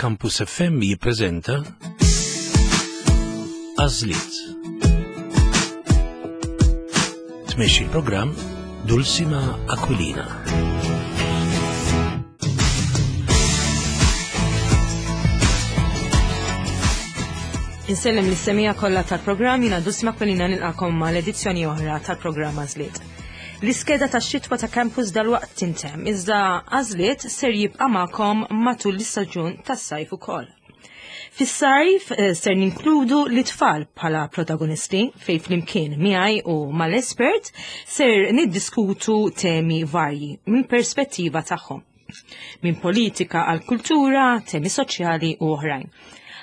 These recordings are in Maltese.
Campus FM jippreżenta Għażliet. Tmexxi l-programm Dulcima Aquilina. Insellem lis semija kollha tal-programm jiena Dulcima Aquilina nilqakom mal edizzjoni oħra tal-programm Għażliet. L-iskeda tax-xitwa ta' Campus dalwaqt tintemm, iżda Għażliet ser jibqa' magħkom matul l-istaġun tas-sajf ukoll. Fis-sajf eh, ser ninkludu l-itfal bħala protagonisti fej flimkien miegħi u mal-espert ser niddiskutu temi varji minn perspettiva tagħhom. Minn politika għal kultura, temi soċjali u oħrajn.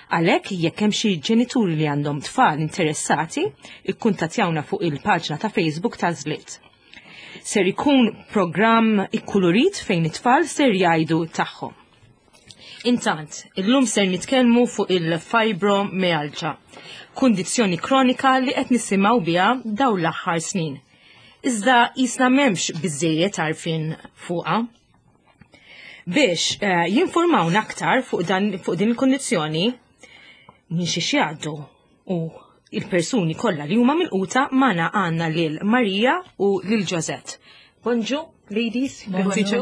Għalhekk jekk hemm xi ġenituri li għandhom tfal interessati, ikkuntattjawna fuq il-paġna ta' Facebook ta' Żliet. Ser ikun programm ikkulurit fejn it-tfal ser jgħidu tagħhom. Intant, illum ser nitkellmu fuq il-fibromyalgia, kundizzjoni kronika li qed nisimgħu biha dawn l-aħħar snin. Iżda jisna m'hemmx biżejjed għarfien fuqha. Biex eh, jinformawna aktar fuq, dan, fuq din il-kundizzjoni minn xi jgħaddu u il-persuni kollha li huma milquta magħna għandna lil Marija u lil Josette. Bonġu, ladies. Bonġu.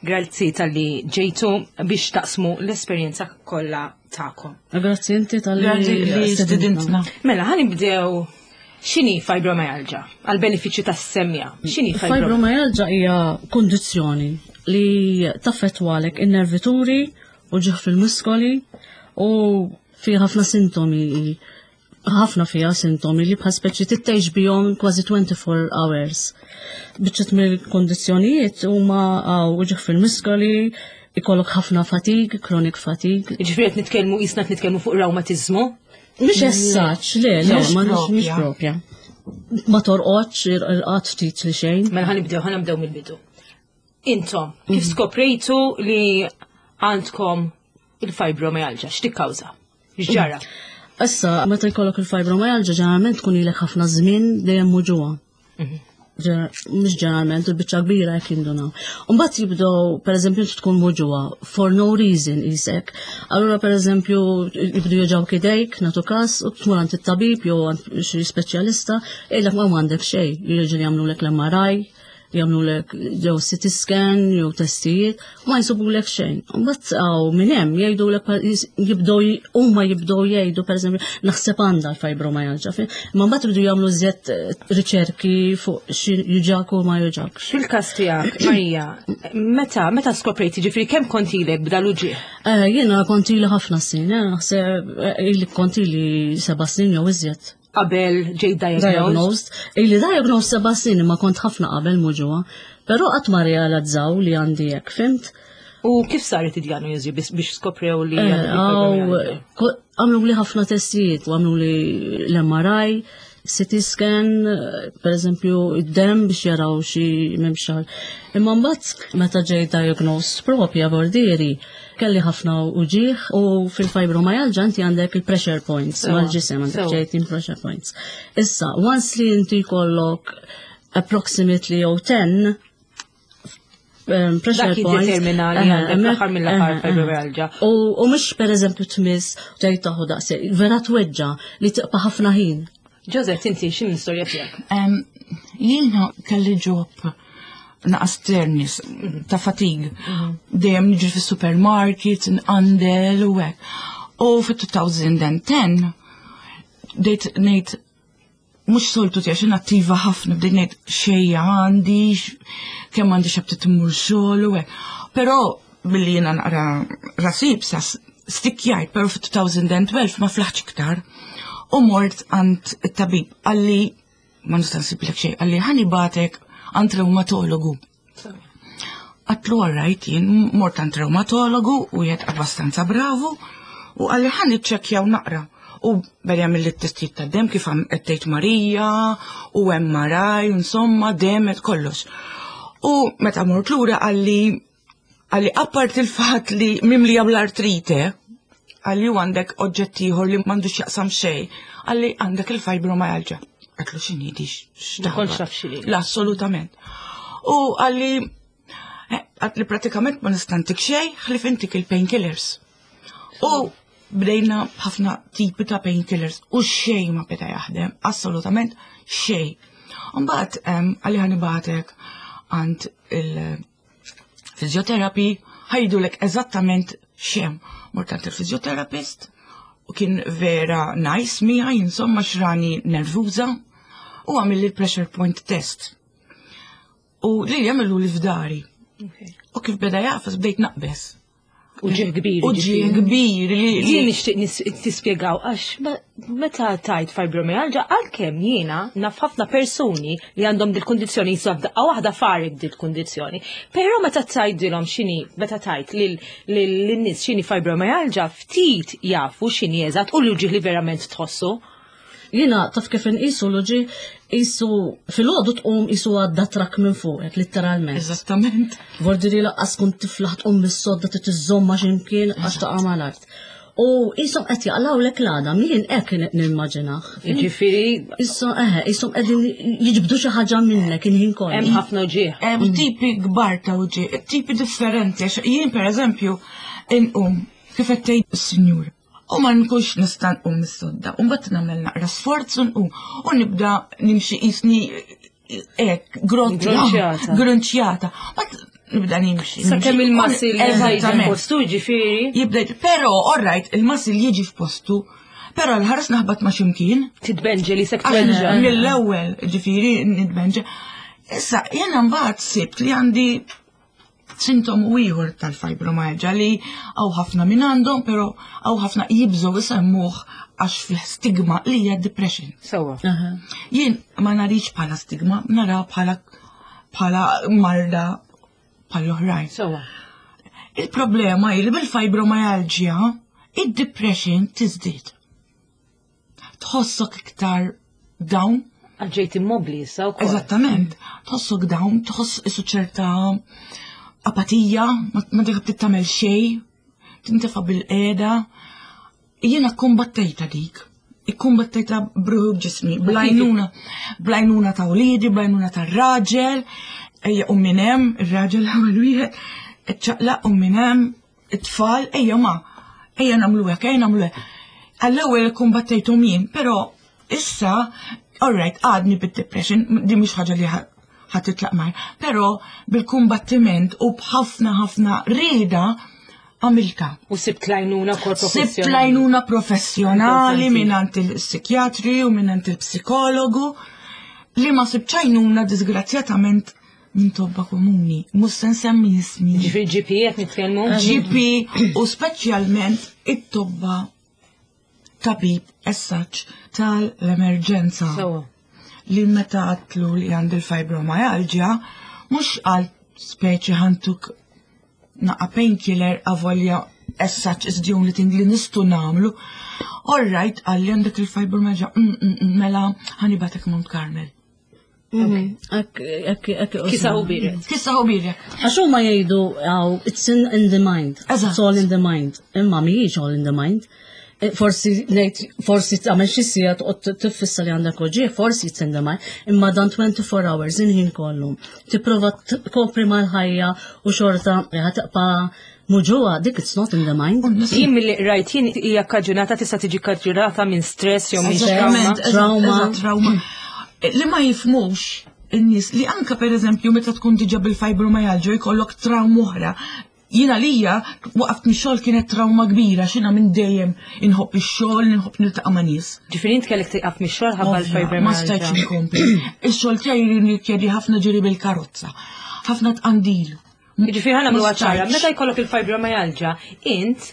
Grazzi tal-li ġejtu biex taqsmu l-esperjenza kollha tagħkom. Grazzi inti tal-li stedintna. Mela, ħanibdew x'inhi fibromyalgia għal benefiċċju tas-semja. X'inhi fibromyalgia hija kundizzjoni li taffettwalek in-nervituri u ġieħ fil-muskoli u fi ħafna sintomi ħafna fiha sintomi li bħal speċi tittejx bihom kważi 24 hours. Biċċet mill-kondizzjonijiet huma għaw uġigħ fil-muskoli, ikollok ħafna fatig, chronic fatigue. Ġifieri qed nitkellmu qisna qed nitkellmu fuq rewmatiżmu? Mhux essaċ, le, le, ma mhix propja. Ma torqodx, irqad ftit li xejn. Mela ħanibdew, ħanibdew mill-bidu. Intom, kif mhm. skoprejtu li għandkom il-fibromyalgia, x'tikkawża? X'ġara? Issa, meta jkollok il-fibromyalgia, ġeneralment tkun ilek ħafna żmien dejjem muġuha. Mhm. Mhux ġeneralment, il-biċċa kbira jekk jindunaw. Mbagħad jibdew, pereżempju, inti tkun muġuha for no reason isek. Allura pereżempju jibdu joġgħu idejk, nagħtu każ, u tmur għand it-tabib jew għand xi speċjalista, jgħidlek ma għandek xejn, jiġri jagħmlulek l-MRI, jagħmlulek jew CT scan jew testijiet, ma jsibulek xejn. Mbagħad hawn minn hemm jgħidulek jibdew huma jibdew jgħidu pereżempju naħseb għandha l-fibromyalgia. Imma mbagħad jibdew jagħmlu żjed eh, riċerki fuq xi juġak u ma juġakx. Fil-każ tiegħek, Marija, meta meta skoprejt jiġifieri kemm kont ilek b'dal uġigħ? Eh, jiena kont ili ħafna snin, eh, naħseb ili kont ili seba' snin jew iżjed. qabel ġejt diagnosed. Diagnosed. Ili diagnosed seba' snin imma kont ħafna qabel muġuha. Però qatt ma realizzaw li għandi hekk, fimt? U kif saret id-diagnosi biex skoprew li eh, Għamlu li ħafna testijiet, għamlu li l-MRI, CT scan, per eżempju, id-dem biex jaraw xi memxar. Imma mbagħad meta ġej diagnosed propja bordieri, Kelli ħafna uġigħ u fil-fibromyalgia inti għandek il-pressure points mal-ġisem għandek ċertin pressure points. Issa, once li inti jkollok approximately jew 10 um, pressure Dak points. jiddetermina li għandek l-aħħar mill-aħħar fibromyalgia. U mhux pereżempju tmiss tgħid taħu daqs, vera tweġġa li tiqpa' ħafna ħin. Joseph, inti x'in l-istorja tiegħek? Jiena kelli ġob naqas ternis ta' fatig. Mhm. Dejjem niġri fis-supermarket, nqandel u hekk. U fit-2010 dejt ngħid mhux soltu tiegħi xi attiva ħafna bdejt ngħid xejja għandi, kemm għandi xabtit immur xogħol u hekk. Però billi jiena naqra rasib sa stikkjajt, però fit-2012 ma flaħtx iktar. U mort għand it-tabib għalli ma nista' nsiblek xejn, għalli ħani batek għand reumatologu. Għatlu għarrajt jien mort għand reumatologu u jgħid abbastanza bravu u għalli ħani ċekjaw naqra. U beda mill testijiet ta' dem kif għam qed Marija u MRI, insomma, dem et kollox. U meta mort lura għalli Għalli appart il-fatt li mimlija bl-artrite, għalli u għandek oġġett ieħor li m'għandux jaqsam xejn, għalli għandek il-fibromyalgia. Għatlu x'inhi di x'taħ. L-assolutament. U għalli eh, għatli pratikament ma nistantik xejn, ħlif intik il-painkillers. U bdejna ħafna tipi ta' painkillers u xejn ma beda jaħdem, assolutament xejn. Mbagħad għalli ħanibatek għand il-fizjoterapi ħajdulek eżattament xem. Mort għand il-fizjoterapist u kien vera nice miegħi, insomma xrani nervuża u għamil il-pressure point test. U li jagħmlu li f'dari. U kif beda jafas bdejt naqbes. Uġigħ kbir. Uġigħ kbir li. Jien nixtieq tispjegaw għax meta tajt fibromyalgia għalkemm jiena naf ħafna persuni li għandhom dil-kundizzjoni jiswa f'daqqa waħda farik dil-kundizzjoni. Però meta tgħidilhom x'inhi meta tajt lin-nies x'inhi fibromyalgia ftit jafu x'inhi eżatt u l-uġigħ li verament tħossu. Jiena taf kif inqisu l-uġigħ qisu filgħodu tqum qisu għadda trakk minn fuqek, litteralment. Eżattament. Vordiri laqqas tkun tiflaħ tqum mis-sodda trid iżżommha x'imkien għax taqa' mal-art. U qishom qed jaqlawlek l-għadam, jien hekk nimmaġinah. Jiġifieri Issa eħe, qishom qegħdin jiġbdu xi ħaġa minnek il-ħin kollu. Hemm ħafna uġigħ. Hemm tipi kbar ta' uġigħ, tipi differenti għax jien pereżempju inqum kif qed tgħid is-sinjur. U ma nkunx nista' nqum mis-sodda. U mbagħad nagħmel naqra sforz u nqum. U nibda nimxi qisni hekk Grunċjata. grunċjata. Mbagħad nibda nimxi. Sakemm il-muscle Eżattament. postu ġifieri Jibda, però all right, il-muscle jiġi f'postu, però l-ħares naħbat ma' ximkien. titbenġe li sek Għax twenġa. Mill-ewwel, ġifieri nitbenġe. Issa, jiena mbagħad sibt li għandi sintomu ieħor tal-fibromyalgia li hawn ħafna minn għandhom, però hawn ħafna jibżgħu isemmuh għax fih stigma li hija depression. Sewwa. Aha. Jien ma narix bħala stigma, nara bħala bħala marda bħal oħrajn. Sewwa. Il-problema hi li bil-fibromyalgia id-depression tiżdied. Tħossok iktar down, Għax ġejt immobli issa wkoll. Eżattament. Tħossok down, tħoss isu ċerta apatija, ma dik btit tagħmel xejn, tintefa' bil-qiegħda. Jiena kkumbattejta dik. Ikkumbattejta bruħu b'ġismi, blajnuna, blajnuna ta' wliedi, blajnuna ta' raġel, ejja u minn hemm, ir-raġel ewwel wieħed, iċċaqlaq u minn hemm, it-tfal, ejja ma, ejja nagħmlu hekk, ejja nagħmlu hekk. Għall-ewwel ikkumbattejthom jien, però issa, all right, għadni bid-depression, di mhix ħaġa li ħa titlaq mar, però bil-kumbattiment u b'ħafna ħafna rieda għamilta. U sibt lajnuna kol Sibt professjonali. lajnuna professjonali Importanti. mingħand il-psikjatri u mingħand il-psikologu li ma sibt għajnuna disgrazzjatament minn tobba komuni. Mhux se nsemmi ismi. Ġifieri GP qed nitkellmu. GP u speċjalment it-tobba tabib essaċ tal-emerġenza Sewwa. li meta għatlu li għandi l-fibromyalgia, mux għal speċi ħantuk naqa painkiller avolja as such is the only thing li nistu namlu. All right, għalli għandek il-fibromyalgia, mela ħanibatek Mount Carmel. Ek, ek, ek, Kisa u biret. Kissa u birek. Għax huma jgħidu għaw, it's in the mind. Eżatt. It's all in the mind. Imma mhijiex all in the mind. Forsi ngħid, forsi tagħmel xi siegħa toqgħod tiffissa li għandek uġigħ, forsi it's in the mind. Imma dan 24 hours inħin kollu. Tipprova tkopri mal-ħajja u xorta ħa tibqa' muġugħa, dik it's not in the mind. Jien milli rajt jien hija kkaġunata tista' tiġi kkaġunata minn stress jew minn trauma. Eżattament, eżatt, Trauma. eżatt, trauma. Li ma jifmux in-nies li anka per eżempju meta tkun diġà bil-fibromyalgia jkollok trauma oħra. Jiena lija waqft mix-xogħol kienet trauma kbira x'ina minn dejjem inħobb ix-xogħol, inħobb niltaqa' ma' nies. Ġifieri int kellek tieqaf mix-xogħol ħabba Ovvja, Ma stajtx l-fibromyalgia. inkompli. Ix-xogħol tiegħi jirrikjedi ħafna ġiri bil-karozza, ħafna tqandil. Ġifieri ħa nagħmluha Ma ċara, stajtx. meta jkollok il-fibromyalgia, int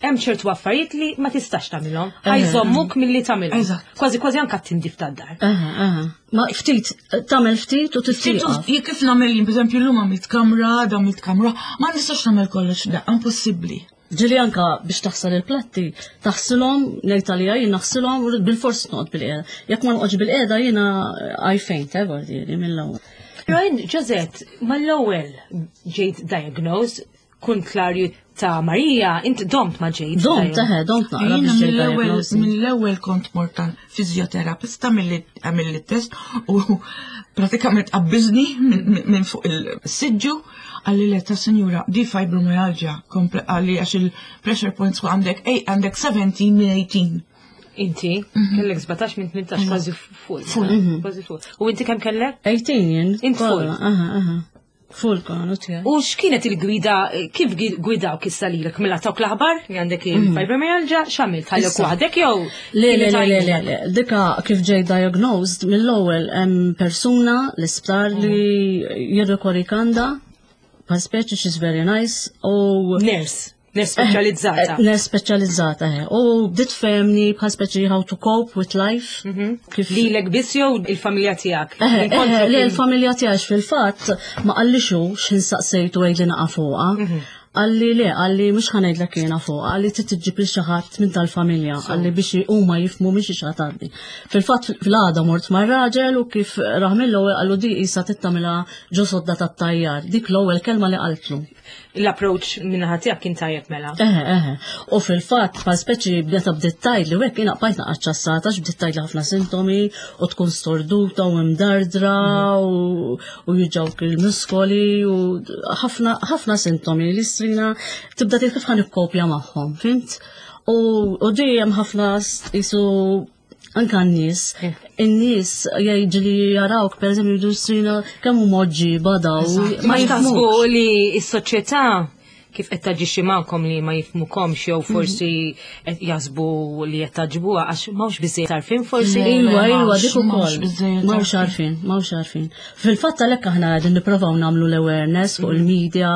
hemm ċertu affarijiet li ma tistax tagħmilhom. Ħajżommuk milli tagħmilhom. Eżatt. Kważi kważi anke tindif tad-dar. Aha, aha. Ma ftit, tagħmel ftit u titieqaf. Jien kif nagħmel jien, pereżempju llum għamilt kamra, għada għamilt kamra, ma nistax nagħmel kollox da, impossibbli. Ġili anka biex taħsel il-platti, taħsilhom, ngħid għalija jien naħsilhom bil-fors noqgħod bil-qiegħda. Jekk ma noqgħodx bil-qiegħda jiena I faint, vordieri mill-ewwel. Però int, Josette, mal-ewwel ġejt diagnosed, kontlarju ta' Marija, int domt ma ġejt. Domt, eħe, domt naqra Jiena biex ġejt mill-ewwel diagnosis. mill-ewwel kont mort fizjoterapista milli għamilli test u pratikament qabbiżni minn fuq il-siġġu Qalli le ta' sinjura, di fibromyalgia, kompli qalli għax il-pressure points għandek, ej, għandek 17 minn 18. Inti, kellek 17 minn 18, kważi full. Kważi full. U inti kemm kellek? 18 jien. Int full. Aha, aha. Full konu tiegħi. U x'kienet il-gwida, kif gwidawk issa lilek mela tawk l-aħbar li għandek il-fibromyalgia, x'għamilt ħallek waħdek jew? Le, le, le, le, le, le, dika kif ġej diagnosed mill-ewwel hemm persuna l-isptar li jirrikorri għandha, pa speċi she's very nice u Nurse, nurse speċjalizzata. Nurse speċjalizzata, eh. U bdiet tfehemni bħal speċi how to cope with life. Kif Lilek biss jew il-familja tiegħek? Le, il-familja tiegħek fil-fatt ma qallix hu x'ħin saqsejtu għidli naqa' fuqha. Qalli le, qalli mhux ħa ngħidlek jiena fuqha, qalli trid iġġib lil xi ħadd minn tal-familja, qalli biex huma jifhmu mhix xi ħadd għaddi. Fil-fatt fil-għada mort mar-raġel u kif rah mill-ewwel qallu di qisha tittamilha ġo sodda tat-tajjar. Dik l-ewwel kelma li qaltlu. L-approach min-naħa tiegħek kien tajjeb mela. Eħe, eħe. U fil-fatt, bħal speċi bdeta bdiet tgħidli u hekk jiena bqajt naqa' ċassata għax bdiet tgħidli ħafna sintomi u tkun storduta u imdardra u juġgħuk il-muskoli u ħafna ħafna sintomi li strina tibda tgħid kif ħa nikkopja magħhom, fhimt? U dejjem ħafna qisu anka n-nies, in-nies jgħidu li jarawk, per eżempju, jgħidu strina kemm huma oġġiba daw. Ma jifhmux li s-soċjetà kif qed taġixxi magħkom li ma jifhmukomx jew forsi qed jaħsbu li qed taġbuha għax m'hawnx biżejjed għarfien forsi. Iwa, iwa, m'hawnx, dik ukoll. m'hawnx biżejjed M'hawnx għarfien, m'hawnx għarfien. Fil-fatt għalhekk aħna qegħdin nipprovaw nagħmlu l-awareness fuq il-media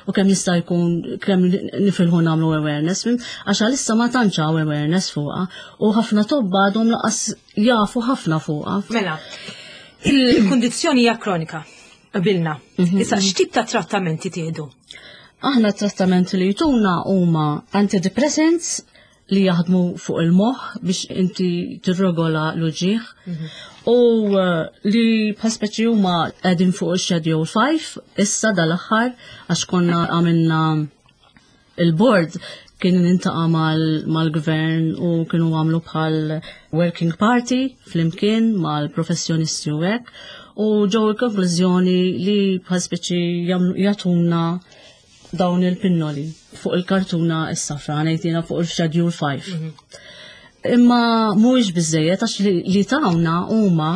u kemm jista' jkun kemm nifilħu nagħmlu awareness, fhimt? Għax għalissa ma tantx hawn awareness fuqha u ħafna tobba għadhom laqas jafu ħafna fuqha. Mela, il-kundizzjoni hija kronika, qbilna. Issa x'tip ta' trattamenti tieħdu? Aħna t-trattamenti li jtuna huma antidepressants li jaħdmu fuq il-moħħ biex inti tirregola l-uġigħ u li bħal speċi huma qegħdin fuq il-Schedule 5 issa dal-aħħar għax konna għamilna il-board kien intaqa' mal-gvern u kienu għamlu bħal working party flimkien mal-professjonisti u hekk u ġew il-konklużjoni li bħal speċi jagħtuna dawn il-pinnoli fuq il-kartuna s-safra, ngħidina fuq il-Schedule 5. Imma mhuwiex biżejjed għax li tawna huma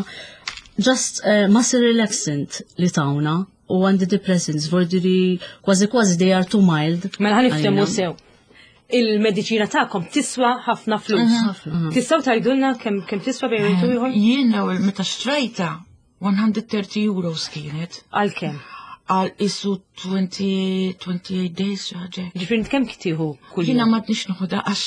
just muscle relaxant li tawna u antidepressants, vordiri kważi kważi they are too mild. Mela ħa niftehmu Għalina. sew. Il-mediċina tagħkom tiswa ħafna flus. Ħafna. Tistgħu tgħidulna kemm tiswa bejn wieħed u ieħor? Jien l-ewwel meta xtrajta 130 euros kienet. Għal kemm? Għal isu 28 days xi ħaġa. Ġifieri int kemm tieħu kull Jiena jum? m'għadniex noħodha għax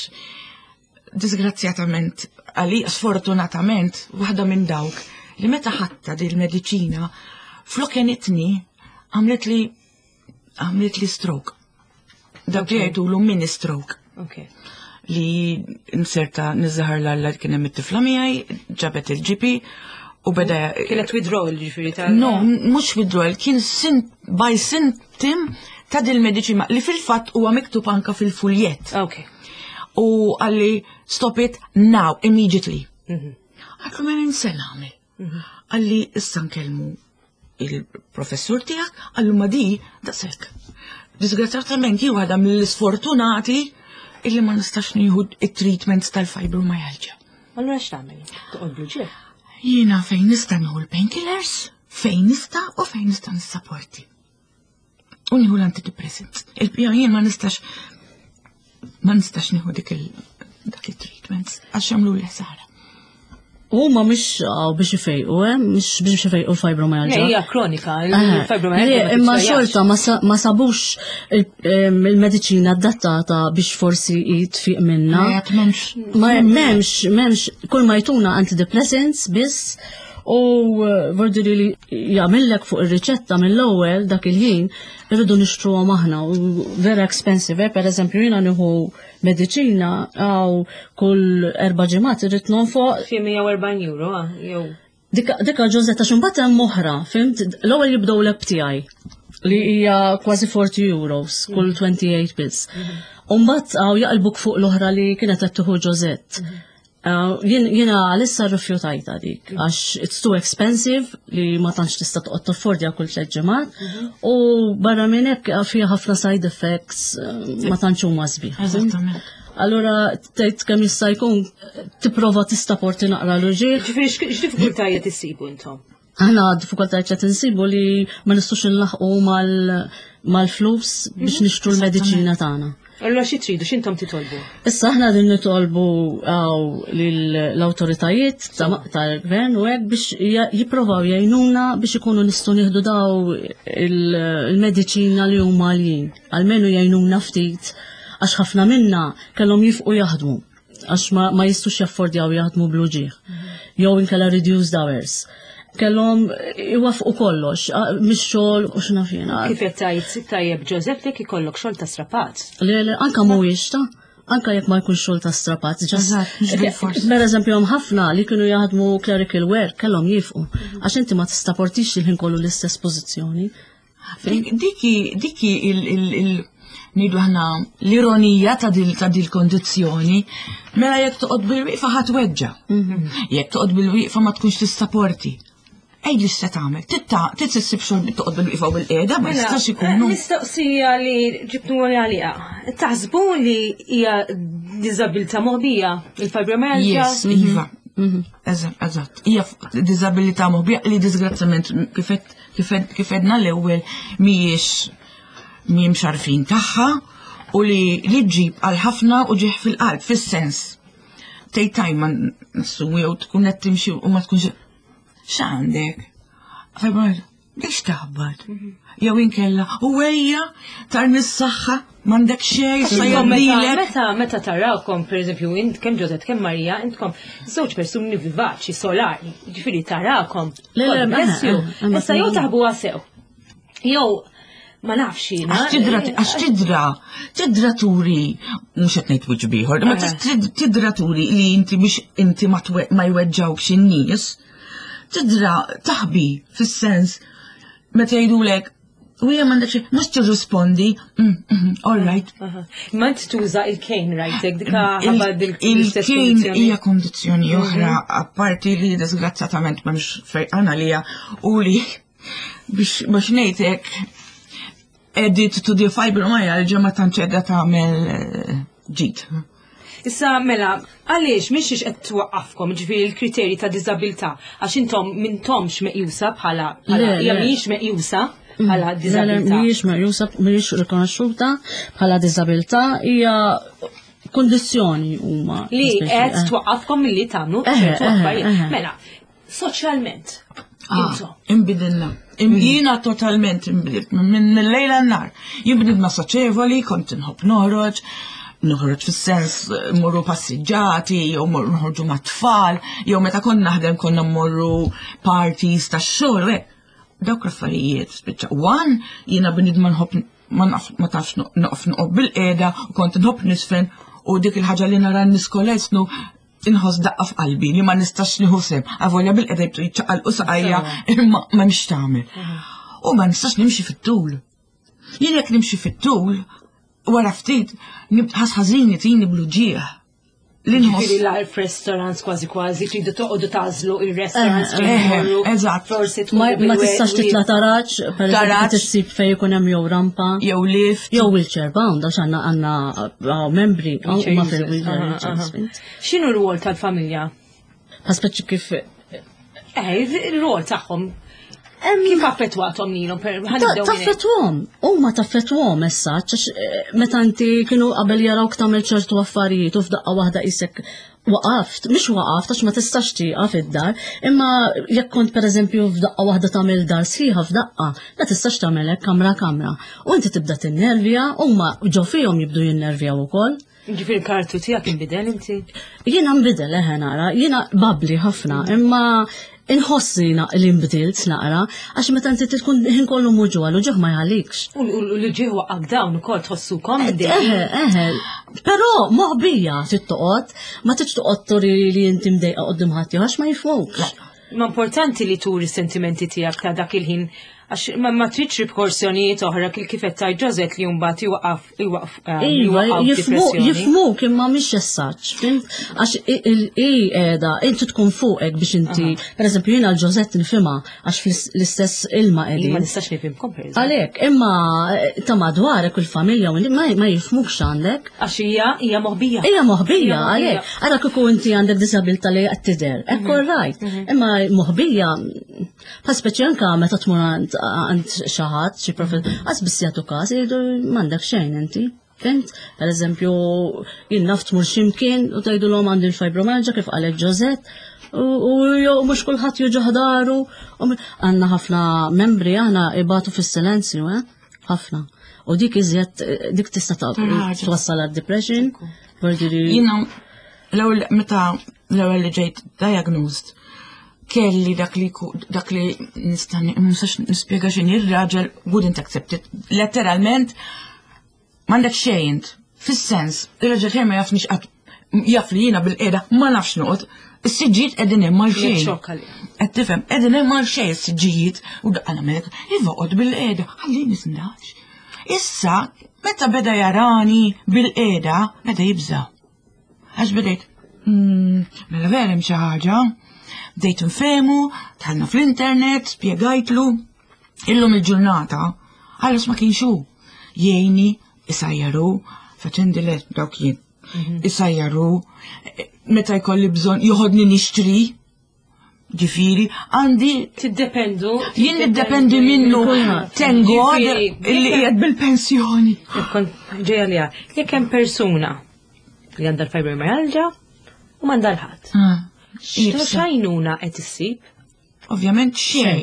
disgrazzjatament, għali sfortunatament, waħda minn dawk li meta ħadta din il-mediċina flok għenitni għamlet li stroke. Dak li jgħidulu mini stroke. Li nserta niżżaħar l-alla kien hemm it-tifla miegħi, ġabet il-GP u beda Kienet withdrawal ġifieri ta' No, mhux withdrawal, kien by symptom ta' dil-mediċina li fil-fatt huwa miktub anka fil-fuljet. U qalli stop it now, immediately. Għedtlu ma ninse nagħmel. Qalli issa nkellmu il-professur tiegħek, qallu ma di daqshekk. Disgrazzjatament jien waħda mill-isfortunati illi ma nistax nieħu it-treatments tal-fibromyalgia. Allura x'tagħmel? Toqgħod bl-ġieħ? Jiena fejn nista' nieħu l-painkillers, fejn nista' u fejn nista' nissapporti. U nieħu l-antidepressants. Il-pija jien ma nistax nieħu dak il-treatments għax jagħmlu li ħsara. Huma mhux għaw biex ifejqu, mhux biex ifejqu l-fibromyalgia. Le, hija kronika, il-fibromyalgia ma Imma titfejjax. xorta ma sabux il-mediċina adattata biex forsi jitfiq minna. Le, għad m'hemmx. Ma m'hemmx, kull ma jtuna antidepressants biss u vordiri li jagħmellek fuq ir-riċetta mill-ewwel dak il-ħin irridu nixtruhom aħna u vera expensive, per eżempju jiena nieħu mediċina għaw kull 4 ġimgħat irrid nonfoq Xi 140 euro, jew. Dika Ġożetta x'imbagħad hemm oħra, fhimt? L-ewwel jibdew l tiegħi li hija kważi 40 euros kull 28 pills. U mbagħad għaw jaqlbuk fuq l-oħra li kienet qed tieħu Ġożett. Jiena għalissa rrifjutajta dik, għax it's too expensive li ma tantx tista' toqgħod taffordja kull tliet ġimgħat mhm. u barra minn hekk fiha ħafna side effects eh, ma tantx huma sbieħ. Eżattament. Allura tgħid kemm jista' jkun tipprova tistaporti naqra l-uġieħ. Ġifieri x'diffikultajiet issibu intom? Aħna diffikultajiet qed insibu li ma nistgħux inlaħqu mal-flus biex mhm. nixtru l-mediċina tagħna. Allura xi tridu x'intom titolbu? Issa aħna din nitolbu l-awtoritajiet tal-gvern u hekk biex jipprovaw jgħinuna biex ikunu nistgħu nieħdu daw il-mediċina li huma għaljin. Almenu jgħinuna ftit għax ħafna minna kellhom jifqu jaħdmu għax ma, ma jistux jaffordjaw jaħdmu bl-uġieħ. Jew inkella reduced hours. Kellhom iwafqu kollox, mhix xogħol u x'naf jiena. Kif qed tgħid tajjeb Joseph jekk ikollok xogħol ta' strapat. Le, le, anka mhuwiex ta' anka jekk ma jkunx xogħol ta' strapat. Per eżempju hemm ħafna li kienu jaħdmu clerical work kellhom jifqu għax inti ma tistaportix il-ħin kollu l-istess pożizzjoni. Diki, diki il, ngħidu aħna l-ironija ta' dil ta' dil kondizzjoni, mela jekk toqgħod bil-wieqfa ħadd weġġa. Mhm. Jekk toqgħod bil-wieqfa ma tkunx tista' porti. Ej li se tagħmel, titta titsib xogħol toqgħod bil-wieqfa u bil-qiegħda ma mela, jistax ikunu. Eh, mistoqsija li ġibtu għalija. Taħsbu li hija diżabilità moħbija il-fibromyalgia? Yes, iva. Mhm. Eżatt, hija diżabilità moħbija li disgrazzjament kifet kif edna l-ewwel mhijiex mhijiex għarfin tagħha u li li ġġib għal ħafna u ġieħ fil-qalb fis-sens. Tgħid tajma nassumi jew tkun qed timxi u ma tkunx x'għandek? Biex taħbad. Mhm. Jew inkella, u ejja tarmi s-saħħa m'għandek xejn, sa jagħmlilek. Meta meta tarawkom, pereżempju, int kemm Ġozet kemm Marija, intkom żewġ persuni vivaċi, solari, ġifieri tarakom. Le, le, bless you. Issa jew taħbuha sew. Jew ma nafx jiena. Għax tidra, tidra turi, mhux qed ngħid wiċċ bieħor, ma tidra turi li inti biex inti ma jweġġawx in-nies, tidra taħbi fis-sens meta jgħidulek U hija m'għandek xejn, mhux tirrispondi, mm, mm, all right. Ma int tuża il-kejn right, dika ħabba Il-kejn hija kondizzjoni mhm. oħra apparti li disgrazzjatament m'hemmx fejqan għalija u li biex biex ngħidlek edit to the fibromyalgia ma tantx qiegħda tagħmel eh, ġid. Issa mela, għaliex mhix qed twaqqafkom ġifieri l-kriterji ta' diżabilità għax intom mintomx meqjusa bħala hija mhijiex meqjusa mm. bħala diżabilità. Mhijiex meqjusa, mhijiex rikonoxxuta bħala diżabilità hija kondizzjoni huma. Li qed eh. twaqqafkom milli tagħmlu eh, ċertu eh, affarijiet. Mela, soċjalment. Ah, imbidilna. Mm. Jiena totalment imbdilt minn lejla n-nar. Jien bnidma soċevoli, kont inħobb noħroġ, noħroġ fis-sens eh, morru passiġġati, jew morru noħorġu mat-tfal, jew meta kont naħdem konna morru parties tax-xogħol, dawk l-affarijiet spiċċa. One, jiena bnidma nħobb ma naf ma tafx noqf noqgħod bil-qiegħda u kont nħobb nisfen u dik il-ħaġa li nara n-nies kollha inħoss daqqa f'qalbi li ma nistax nieħu sehem. Avolja bil-qeda jibtu jiċċaqalqu saqajja imma ma nix tagħmel. U ma nistax nimxi fit-tul. Jien jekk nimxi fit-tul, wara ftit nibqas ħażin jtini bluġieħ. Ġifieri l-għar restaurants kważi kważi tridu toqgħodu tażlu il-restaurants eh, eh, eh, Eżatt. Forsi Ma tistax titla' taraġ, per eżempju tissib fejn ikun hemm jew rampa. Jew lift. Jew wheelchair bound għax għandna għandna membri huma fil-wheelchair. X'inhu r-rwol tal-familja? Speċi kif Eh, il-rwol tagħhom. Kif affettwathom lilhom? Taffettwhom, huma taffettwhom issa, eh, meta inti kienu qabel jarawk tagħmel ċertu affarijiet u f'daqqa waħda isek waqaft, mhux waqaft għax ma tistax tieqaf id-dar, imma jekk kont pereżempju f'daqqa waħda tagħmel dar sħiħa f'daqqa, ma tistax tagħmel hekk kamra kamra. U inti tibda tinnervja, huma ġo fihom jibdu jinnervjaw ukoll. Ġifieri l-karattru tiegħek inbidel inti? Jiena nbidel eħe nara, jiena babli ħafna, imma inħossni li nbdilt naqra, għax meta inti tkun ħin kollu muġu għal ġuħ ma jgħalikx. U l-ġieħ waqgħek dawn ukoll tħossukom Eħe, eħe, però moħbija trid toqgħod, ma tridx toqgħod turi li inti mdejqa quddiem ħadd għax ma jifhmukx. Ma importanti li turi sentimenti tiegħek ta' dak il-ħin. Għax ma tridx riperkussjonijiet oħra kif kif qed tgħid Josette li mbagħad iwaqaf iwaqaf eh, Iva, jifhmu kien ma mhix essaġġ, fhimt? Għax i qiegħda inti tkun fuqek biex inti, pereżempju jiena l-Josette nifhimha għax fl-istess ilma qegħdin. Ma nistax nifhimkom pereżempju. Għalhekk, imma eh, ta' madwarek u l-familja u ma jifhmukx għandek. Għax hija hija moħbija. Hija moħbija għalhekk. Ara kieku inti għandek disabilità li qed tidher, hekk all right. Mhm. Imma moħbija Pa speċi anka meta tmur għand xi ħadd, xi profil, għas biss jagħtu każ jgħidu m'għandek xejn inti. Fint? Per eżempju, jien naf tmur x'imkien u tgħidulhom għandi l-fibromyalgia kif qalet Josette, u jew mhux kulħadd juġu ħdaru. Għandna ħafna membri aħna ibatu fis-silenzju, eh? Ħafna. U dik iżjed dik tista' twassal għad-depression. Jiena l-ewwel meta l-ewwel li ġejt diagnosed kelli dak li dak li nista' nistax nispjega x'inhi r-raġel wouldn't accept it. Letteralment m'għandek xejn int. Fis-sens, ir-raġel tiegħi ma jafnix qatt jaf li jiena bil-qiegħda ma nafx noqgħod. Is-siġġijiet qegħdin hemm għal xejn. Qed tifhem, qegħdin hemm għal xejn is-siġġijiet u daqqa nagħmel iva qgħod bil-qiegħda, ħalli nisndax. Issa, meta beda jarani bil-qiegħda, beda jibża'. Għax bdejt, hmm, mela vera hemm xi ħaġa. Bdejt nfehmu, tħallna fl-internet, spjegajtlu. Illum il-ġurnata, għallas ma kienx hu. Jgħinni, isajjaru, faċendi le dawk jien. Mhm. Isajjaru, meta jkolli bżonn joħodni nixtri, Ġifiri, għandi. Tiddependu. Jien niddependi minnu. Thank God illi qiegħed bil-pensjoni. Kont ġejja li jekk hemm persuna li għandha l-fibromyalgia u m'għandha l-ħadd. Ah, X'għajnuna qed issib? Ovvjament xejn.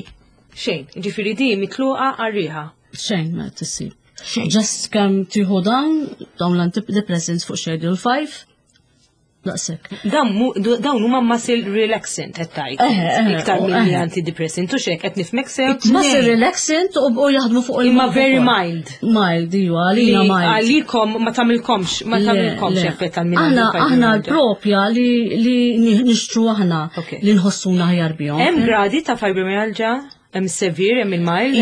Xejn, ġifieri di mitluqa għar-riħa. Xejn ma tissib. Xejn. Just kemm tieħu dawn, dawn l-antidepressants fuq schedule 5, Daqshekk. Dawn huma muscle relaxant qed tgħid. Iktar milli antidepressant u xek qed nifhmek sew. Muscle relaxant u jaħdmu fuq il Imma very mild. Mild, iva, għalina mild. Għalikom ma tagħmilkomx, ma tagħmilkomx effett għal min. Aħna aħna l-propja li nixtru aħna li nħossuna ħjar bihom. Hemm gradi ta' fibromyalgia, hemm severe, hemm il-mild,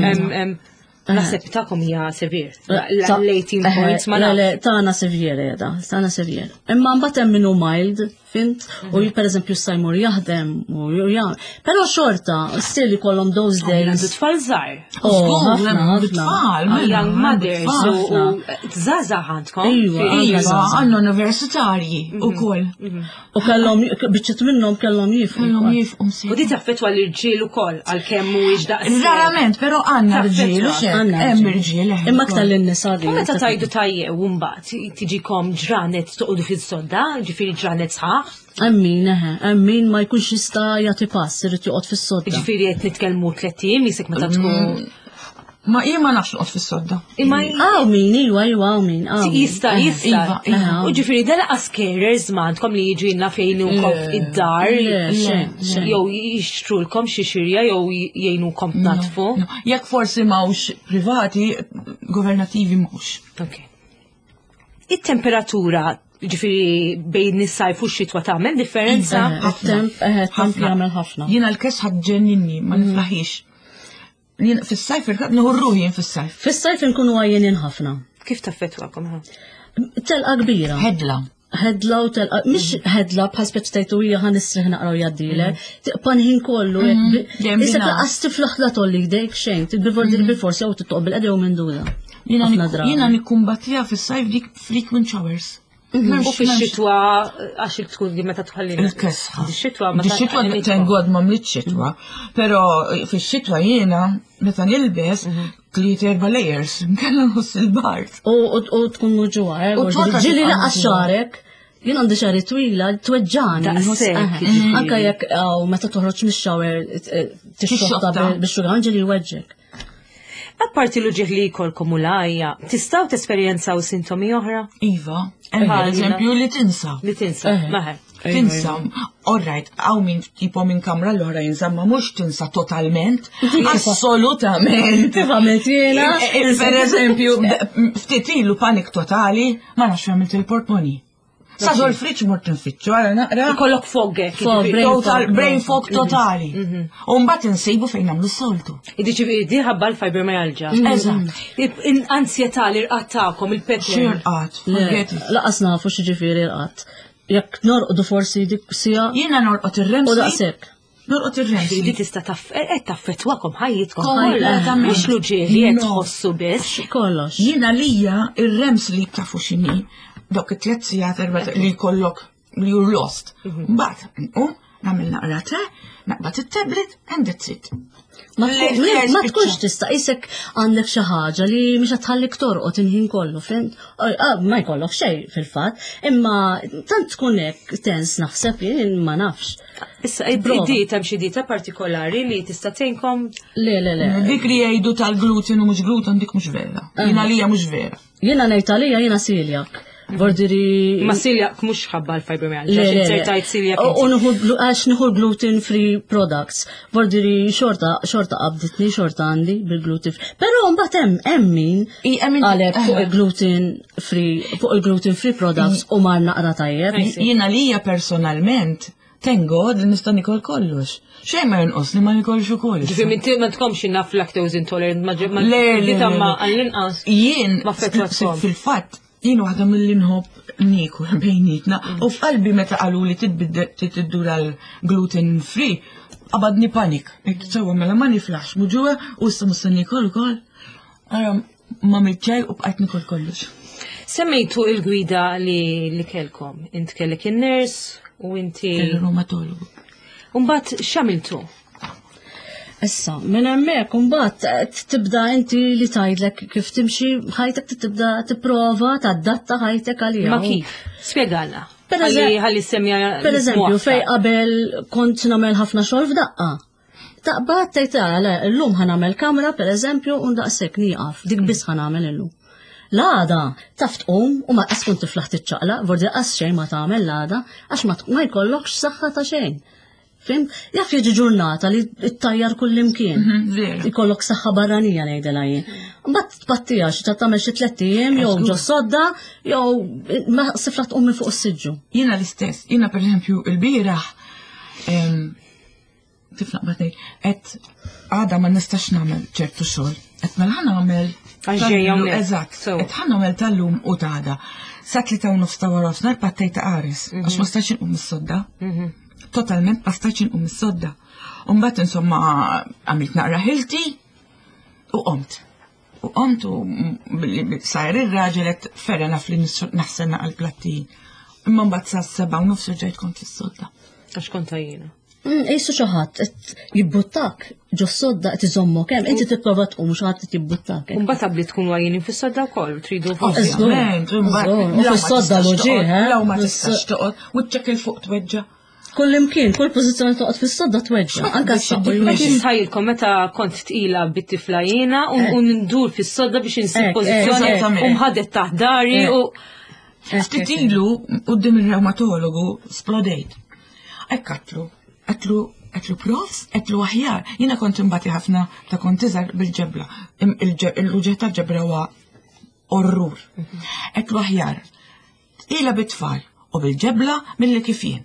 hemm Naħseb tagħkom hija severe. L-18 points ma Le, le, tagħna severe jeda, tagħna severe. Imma mbagħad hemm minnu mild, fint, u mhm. pereżempju issa jmur jaħdem u jagħmel. Però xorta, still ikollhom those days. Għandu tfal żgħar. Oh, ħafna, ħafna. Tfal, mela, young mothers u żgħażagħ għandkom. Iva, iva, għandna universitarji mhm. ukoll. Mhm. U kellhom biċċiet minnhom kellhom jifqu. Kellhom jifqu. U di taffettwa l-irġiel ukoll għalkemm mhuwiex daqs. Rarament, però għandna rġiel u xejn. Hemm irġiel. Eh. Imma aktar lin-nisa di. U meta tajdu tajjew mbagħad tiġikom ġranet toqgħodu fis-sodda, ġifieri ġranet sħaħ. Emmin, eħe, emmin ma jkunx jista' jagħti pass, irid joqgħod fis-sodda. Ġifieri qed nitkellmu tliet ijiem jisek meta tkun mm. Ma jien ma nafx noqgħod fis-sodda. Imma Għaw min, iwa, iwa, għaw min. Jista, jista. Iva, iva. U ġifieri dan laqas carers ma għandkom li jiġu jinna fejnukom id-dar. Jew jixtrulkom xi xirja jew jgħinukom tnatfu. Jekk forsi mawx privati, governativi mhux. Ok. It-temperatura ġifiri bejn is-sajf u x-xitwa tagħmel differenza? It-temp jagħmel ħafna. Jiena l-kesħa ġenninni ma mm. niflaħix. Jien fis-sajf irkab nieħu ruħi jien fis-sajf. Fis-sajf inkunu għajjenin ħafna. Kif taffettwakom ha? Telqa kbira. Ħedla. Ħedla u telqa, mhix ħedla bħal speċ tajtu hija ħa nisriħ naqra u jgħaddilek. Mm. Tiqpa' ħin kollu. Mm. Issa laqas tiflaħ la tolli jdejk xejn, tibbivordi mm. bil-forsi jew tittoq bil-qed jew minn dura. Jiena nikkumbattija fis-sajf dik frequent showers. Mhm. U fix-xitwa għax tkun di meta tħalli. Il-kesħa. Xitwa ma Xitwa thank God ma mlit xitwa. Però fix-xitwa jiena meta nilbes mhm. tliet erba' layers, nkella nħoss il-bard. U tkun muġuha, eh, ġili laqas xarek. Jien għandi xari twila, tweġġani. Mhm. Anka jekk meta toħroġ mix-shower eh, tixxotta bix-xugan ġili jweġġek. Apparti l-uġieħ li jkollkom u l-għajja, tistgħu tesperjenzaw sintomi oħra? Iva, hemm eżempju li tinsa. Li tinsa, eh. maħe. Tinsa, all right, għaw min tipo minn kamra l-oħra jinsa, ma mux tinsa totalment, assolutament. Kif għamilt jiena? Eh, eh, per eżempju, ftit ilu panik totali, ma nafx għamilt il-portmoni. Sa ġol friċ mort nfittxu, għara naqra. Ikollok fog hekk. Fog, jiġifieri. brain Total, fog. brain fog totali. U mbagħad insibu fejn nagħmlu s-soltu. Jiġifieri di ħabba l-fibromyalgia. Eżatt. Ansjetà li rqad tagħkom il-pattern. Xirqat, Le, forget it. Laqas nafu x'ġifieri rqad. Jekk norqdu forsi dik sija Jiena norqod ir-REM u sleep. daqshekk. Norqod ir-REM Di sleep. tista' qed taffettwakom ħajjitkom Kompletament. kollha. Mhux l-uġieħ li qed No. tħossu biss. Kollox. Jiena lija ir-REM sleep tafu x'inhi dawk it-tliet sigħat erba' li jkollok li you're lost. Mbagħad nqum nagħmel naqra te, naqbad it-tablet and that's it. Ma Le- tkun- le, ma spiċċa. tkunx tista' isek għandek xi ħaġa li mhix qed tħallik torqod il-ħin kollu, fhimt? Ah, Ma jkollok xejn fil-fatt, imma tant tkun hekk tens naħseb jien ma nafx. Issa Prova. id-dieta hemm xi dieta partikolari li tista' tgħinkom Le, le, le. Dik li jgħidu tal-gluten u mhux gluten dik mhux vera. Jiena lija mhux vera. Jiena ngħid għalija jiena celiac. Vordiri. ma celiac mhux ħabba l-fibromyalgia. Le, le, le. Insertajt celiac. U nieħu għax nieħu gluten free products. Vordiri xorta xorta qabditni, xorta għandi bil-gluten free. Però mbagħad hemm hemm min I, hemm min- għalek fuq il-gluten free fuq il-gluten free products u mar naqra tajjeb. Jiena lija personalment, thank God li nista' nikol kollox. Xejn ma jonqos li ma nikolx ukoll. Ġifieri minn ma tkomx naf lactose intolerant ma ma Le, le, dieta le, ma le. għall-inqas. Jien, Ma affettwatkom. fil-fatt, jien waħda mill-li nħobb nikol bejnietna. U f'qalbi meta qalu li titiddur għal gluten free, qabadni panik. Għedt sewwa mela ma niflaħx muġuha u issa musta nikol ukoll. Ara ma mitċaj u bqajt nikol kollox. Semmejtu il-gwida li li kelkom. Int kellek in-nurse u inti. Il-reumatologu. Mbagħad x'għamiltu? Issa, minn hemmhekk imbagħad eh, tibda inti li tgħidlek kif timxi ħajtek tibda tipprova tadatta ħajtek għaliha. Ma kif? Spjegalna. Per Ħalli eżem- ħalli semmja. Per eżempju, fej qabel kont nagħmel ħafna xogħol f'daqqa. Taqbad tgħid "Ah, le, llum ħa nagħmel kamra pereżempju u ndaqshekk nieqaf, dik biss ħa nagħmel illum. L-għada taf tqum u ma qas kont tiflaħ tiċċaqlaq, vordi qas xejn ma tagħmel l-għada għax ma ma jkollokx saħħa ta' xejn. Fim? Jaf jiġi ġurnata li ttajjar kull imkien. Vera. Ikollok saħħa barranija ngħidilha jien. Mbagħad tpattija xi ta' tagħmel xi tlett ijiem jew ġo sodda jew ma sifla tqum minn fuq is-siġġu. Jiena l-istess, jiena per eżempju il-bieraħ, tif naqbad ngħid, qed għada ma nistax nagħmel ċertu xogħol. Qed mela ħa nagħmel Għax ġejja tal-lum- hawnhekk. Eżatt, So. qed ħa nagħmel tal-lum u ta' għada. Sa 3:30 ta' wara nofsinhar pattejta qares, għax ma stax inqum mis-sodda. Totalment ma stax inqum mis-sodda. U mbagħad insomma għamilt naqra ħilti u qomt. U qomt u sajr ir-raġel qed ferra naf li naħsel naqal platti. Imma mbagħad sa 7:30 rġajt kont fis-sodda. Għax kont għajjina. Qisu xi ħadd qed jibbuttak ġo sodda qed iżommok hemm, inti tipprova tqum xi ħadd qed jibbuttak. hekk. Mbagħad qabli tkun għajjinin fis-sodda wkoll tridu Ovvjament, Żgur, imbagħad żgur. U law ma fis-sodda tistax l-uġigħ, toqgħod, eh? Law ma Fis- tistax toqgħod, wiċċek il fuq tweġġa. Kull imkien, kull pożizzjoni toqgħod fis-sodda tweġġa, anke s-saqq Meta nisħajilkom meta kont tqila bit-tifla jiena u ndur fis-sodda biex insib Ek, pożizzjoni eżattament. u mħadet taħt dari u Ftit ilu quddiem ir-reumatologu splodejt. Hekk għatlu, għatlu għatlu profs, għatlu aħjar. Jiena kont imbati ħafna ta' kont iżgħar bil-ġebla. Il-uġigħ tal-ġebla huwa orrur. Għatlu aħjar. Tqila bit-tfal u bil-ġebla milli kif jien.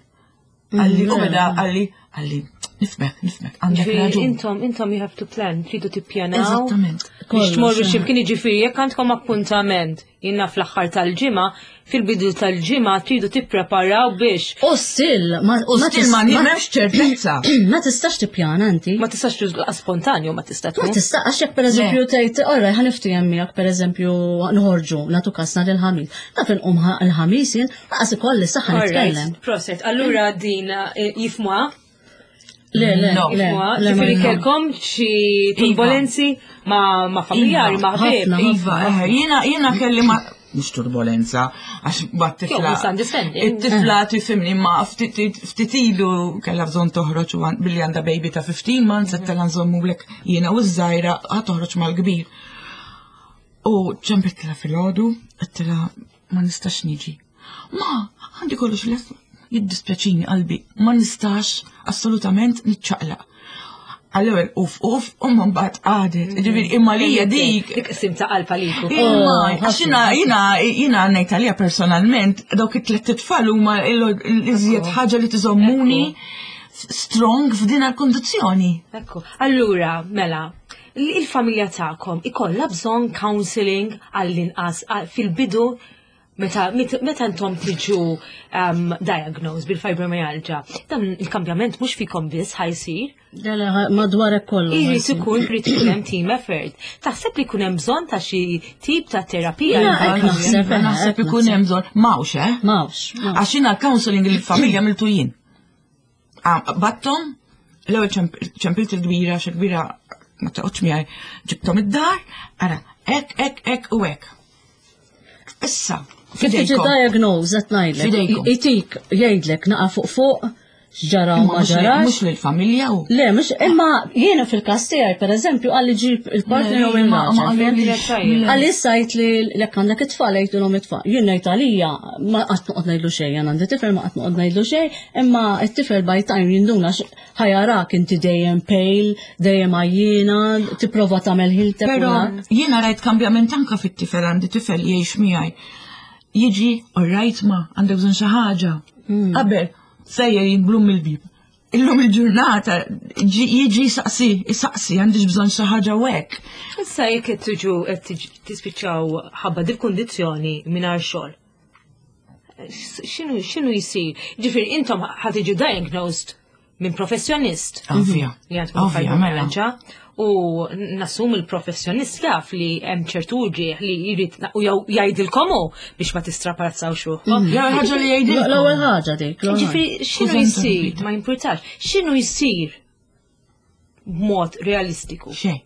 Għalli, u beda, għalli, għalli, nifmek, nifmek, għandek Ġifieri raġun. intom intom you have to plan, tridu tippjanaw. Eżattament. Biex tmorru Kollox, x'imkien jiġifieri jekk għandkom appuntament jiena fl-aħħar tal-ġimgħa, fil-bidu tal-ġimgħa tridu tippreparaw biex U still, ma U still ma tis- m'hemmx ċertezza. Ma tistax tippjana inti. ma tistax tużla spontanju ma tista' Ma tkun. tista' għax jekk pereżempju tgħid, orra ħa niftiehem miegħek pereżempju nħorġu nagħtu kasna lil-ħamis. Naf inqum il-ħamis jien laqas ikolli saħħa nitkellem. Alright, proset. Allura din jifmuha? Le, le, No. le, Jifmuha? le, ma- Ġifieri kelkom xi turbolenzi ma' ma' familjari, ma' ħbieb. Ħafna. Iva, eh, jiena jiena kelli ma mhux turbolenza, għax bat Jew tifla. misunderstanding. It-tifla tifhimni ma ftit ftit ilu kellha bżonn toħroġ u billi għandha baby ta' 15 months qed tella nżommulek jiena u ż-żgħira ħa toħroġ mal-kbir. U ċempitlha filgħodu, għedtilha ma nistax niġi. Ma, għandi kollox lest jiddispjaċini qalbi, ma nistax assolutament niċċaqlaq. Għall-ewwel uf uf u mbagħad qadet. Ġifieri imma lija dik. Dik qsim ta' qalb għalik. Imma oh, għax jiena jiena jiena ngħid għalija personalment dawk it-tliet tfal huma l-iżjed ħaġa li tiżommuni strong f'din għal-kondizzjoni. Ekku. Allura, mela, il-familja tagħkom ikollha bżonn counseling għall-inqas fil-bidu Meta, meta intom tiġu um, diagnosed bil-fibromyalgia, dan il-kambjament mhux fikom biss ħajsir. Madwar kollu. Irid ikun irid ikun hemm team effort. Taħseb li jkun hemm bżonn ta' xi tip ta' terapija? Naħseb naħseb ikun hemm bżonn. Mawx, eh? Mawx. Għax jiena l-counseling il-familja miltu jien. Ah, battom, l-ewwel ċempilt il-kbira, xi kbira ma toqgħodx miegħi, ġibthom id-dar, ara, ek, ek, ek u ek. Issa, Kif tiġi diagnose qed ngħidlek. Itik jgħidlek naqa' fuq fuq x'ġara u ma ġarax. Mhux lill-familja u. Le, mhux imma jiena fil-każ tiegħi pereżempju għalli ġib il-partner jew il-raġel. Għalli sajt li lek għandek it-tfal jgħidulhom it-tfal. Jien ngħid għalija ma qatt noqgħod ngħidlu xejn, jien għandi tifel ma qatt noqgħod ngħidlu xejn, imma t-tifel by time jinduna ħajarak inti dejjem pale, dejjem għajjiena, tipprova tagħmel ħiltek. Però jiena rajt kambjament anka fit-tifel għandi tifel jgħix miegħi. Jiġi, all right ma, għandek bżonn xi ħaġa. Hmm. Qabel, sejjer jinblum mill-bib. Illum il-ġurnata jiġi saqsi, saqsi għandix bżonn xi ħaġa u hekk. Issa jekk qed tiġu qed tispiċċaw ħabba dil-kundizzjoni mingħajr xogħol. X'inhu x'inhu jsir? Ġifieri intom ħa tiġu diagnosed minn professjonist. Ovvja. Li għandkom mela. U nassum il-professjonist jaf li hemm ċertu ġieħ li jrid u jew jgħidilkom hu biex ma tistrapazzawx ruħkom. Mm. L-ewwel ħaġa li jgħidilkom. L-ewwel ħaġa dik. Ġifieri x'inhu jsir ma jimpurtax. X'inhu jsir b'mod realistiku? Xejn.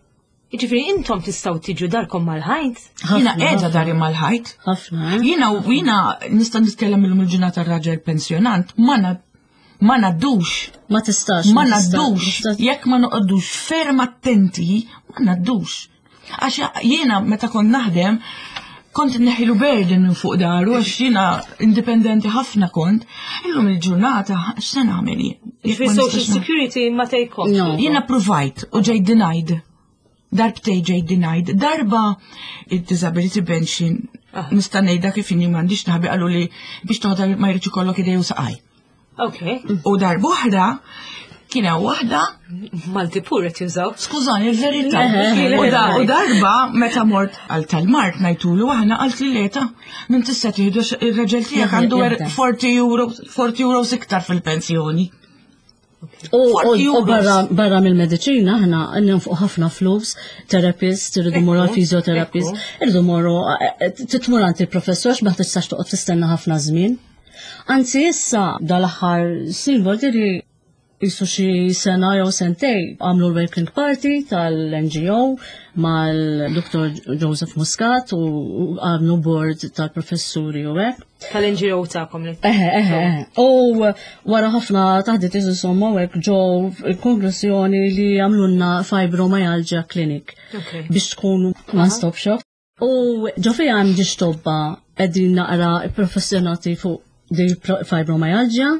Jiġifieri intom tistgħu tiġu darkom mal-ħajt? Jiena qiegħda dari mal-ħajt. Ħafna. Eh? Jiena jiena nista' nitkellem illum il-ġurnata raġel pensjonant ma ma naddux. Ma tistax. Ma naddux. Jekk ma noqogħdux ferm attenti, ma naddux. Għax jiena meta kont naħdem, kont neħilu burden minn fuq daru għax jiena indipendenti ħafna kont. Illum il-ġurnata x'se nagħmel jien? Jiġifieri social security ma tgħidkomx. Jiena provajt u ġejt denied. Darbtej ġejt denied. Darba il-disability pension ah. nista' ngħidha kif inhi m'għandix naħbi qalu li biex toħodha ma jridx ikollok idej u saqaj. Ok. U darba kien hemm waħda Malti pur qed jużaw. Skużani, il-verità. U darba meta mort għal tal-mart ngħidulu aħna qalt li leta minn tista' tieħdu ir-raġel tiegħek għandu 40 euro 40 euro iktar fil-pensjoni. U barra mill-mediċina aħna nonfqu ħafna flus, therapist, irridu morru għal fisioterapist, irridu morru eh, eh, titmur għand il-professor ma tistax toqgħod tistenna ħafna żmien. Anzi issa dal-aħħar snin diri jisu xi sena jew sentej għamlu l-Working Party tal-NGO mal-Dr. Joseph Muscat u għamlu board tal-professuri u hekk. Tal-NGO tagħkom li. Eħe, eħe, eħe. U wara ħafna taħdit insomma u hekk ġew konklużjoni li għamlulna fibromyalgia clinic biex tkun one-stop shop. U ġo fija hemm ġiex tobba qegħdin naqra professjonati fuq di fibromyalgia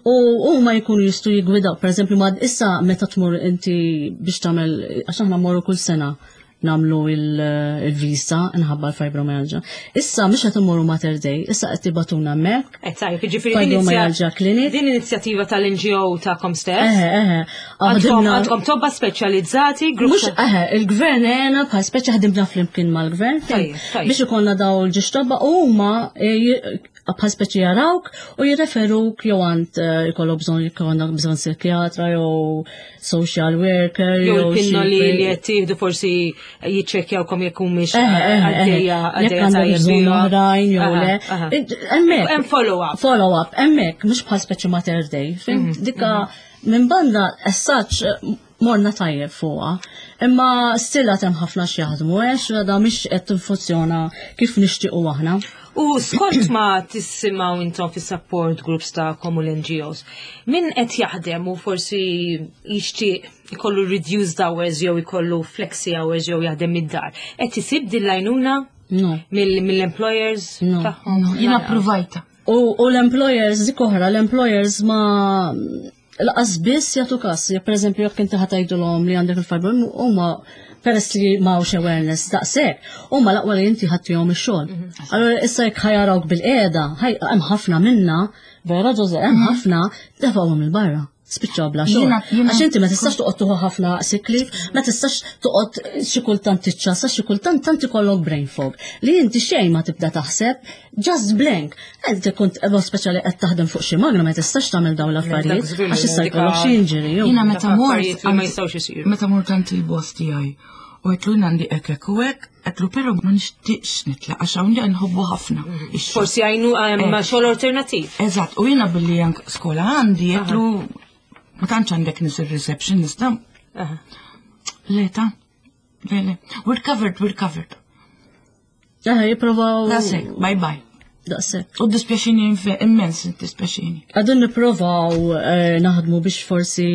u huma jkunu jistgħu jigwidaw, pereżempju ma issa meta tmur inti biex tagħmel għax aħna mmorru kull sena namlu il-visa nħabba l-fibromyalgia. Issa mhux qed immorru Mater Dei, issa qed tibatuna hemmhekk. Qed tajjeb, jiġifieri fibromyalgia clinic. Din inizjattiva tal-NGO tagħkom stess. Eħe, eħe. Għandkom tobba speċjalizzati, grupp. Mhux eħe, il-gvern għena bħal speċi ħdimna flimkien mal-gvern. Biex ikollna daw l-ġiex tobba u huma eh, bħal speċi jarawk u jirreferuk jew għand eh, ikollok bżonn jkollok bżonn psikjatra jew social worker jew il-pinnoli li qed tieħdu forsi jiċċekkjawkom jekk humiex għaddejja għaddejja tajjeb oħrajn jew le. Hemmhekk. Hemm follow up. Follow up, hemmhekk mhux bħal speċi Mater Dei. Mhm, Dika mhm. Minn banda, as such, morna tajjeb fuqha. Imma stilla hemm ħafna x'jaħdmu għax da mhix qed tinfunzjona kif nixtiequ aħna. U skont ma tissimgħu intom fis-support groups tagħkom u l-NGOs, min qed jaħdem u forsi jixtieq ikollu reduced hours jew ikollu flexi hours jew jaħdem mid-dar, qed isib din l-għajnuna mill-employers tagħhom? Jiena provajta. U l-employers, dik oħra, l-employers ma. Lanqas biss jagħtu każ, jekk pereżempju jekk inti ħa tgħidulhom li għandek il-fibro, huma peress li m'hawnx awareness daqshekk, huma l-aqwa li inti ħaddihom ix-xogħol. Allura issa jekk ħa jarawk bilqiegħda, hemm ħafna minna, vera Ġoże, hemm ħafna tefgħuhom 'il barra. Spiċċaw bla xogħol. Għax inti ma tistax toqgħod tieħu ħafna sick leave, ma tistax toqgħod xi kultant tiċċassa, xi kultant tant ikollok brain fog. Li inti xejn ma tibda taħseb, just blank. Inti kont speċjali qed taħdem fuq xi magna ma tistax tagħmel dawn l-affarijiet għax issa jkollok xi injury. Jiena meta mort ma jistgħux isiru. Meta mort għand il-boss tiegħi u għedtlu jien għandi hekk hekk u hekk, għedtlu però ma nixtieqx nitlaq għax hawn li nħobbu ħafna. Forsi għajnu ma xogħol alternattiv. Eżatt, u jiena billi anke skola għandi għedtlu ma tantx għandek nies ir-reception nista'. Le ta' le le. We're covered, we're covered. Eħe, jipprovaw. Daqshekk, bye bye. Daqshekk. U dispjaċini immens, dispjaċini. Għadin nipprovaw eh, naħdmu biex forsi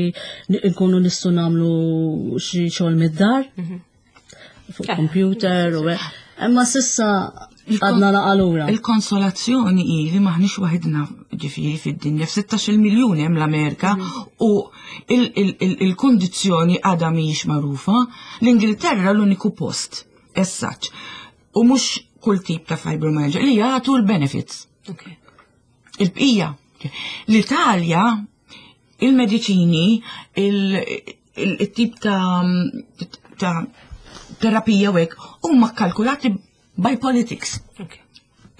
nkunu nistgħu nagħmlu xi xogħol mid-dar. Fuq Eh. computer u hekk. Imma s'issa għadna naqalura. Il-konsolazzjoni hi li maħniex waħidna ġifieri fid-dinja f'16 miljun hemm l-Amerika u il-kundizzjoni għadha mhijiex magħrufa. L-Ingilterra l-uniku post as such. U mhux kull tip ta' fibromyalgia li jagħtu l-benefits. Il-bqija. L-Italja, il-mediċini, il-tip ta' terapija u hekk huma kkalkulati by politics.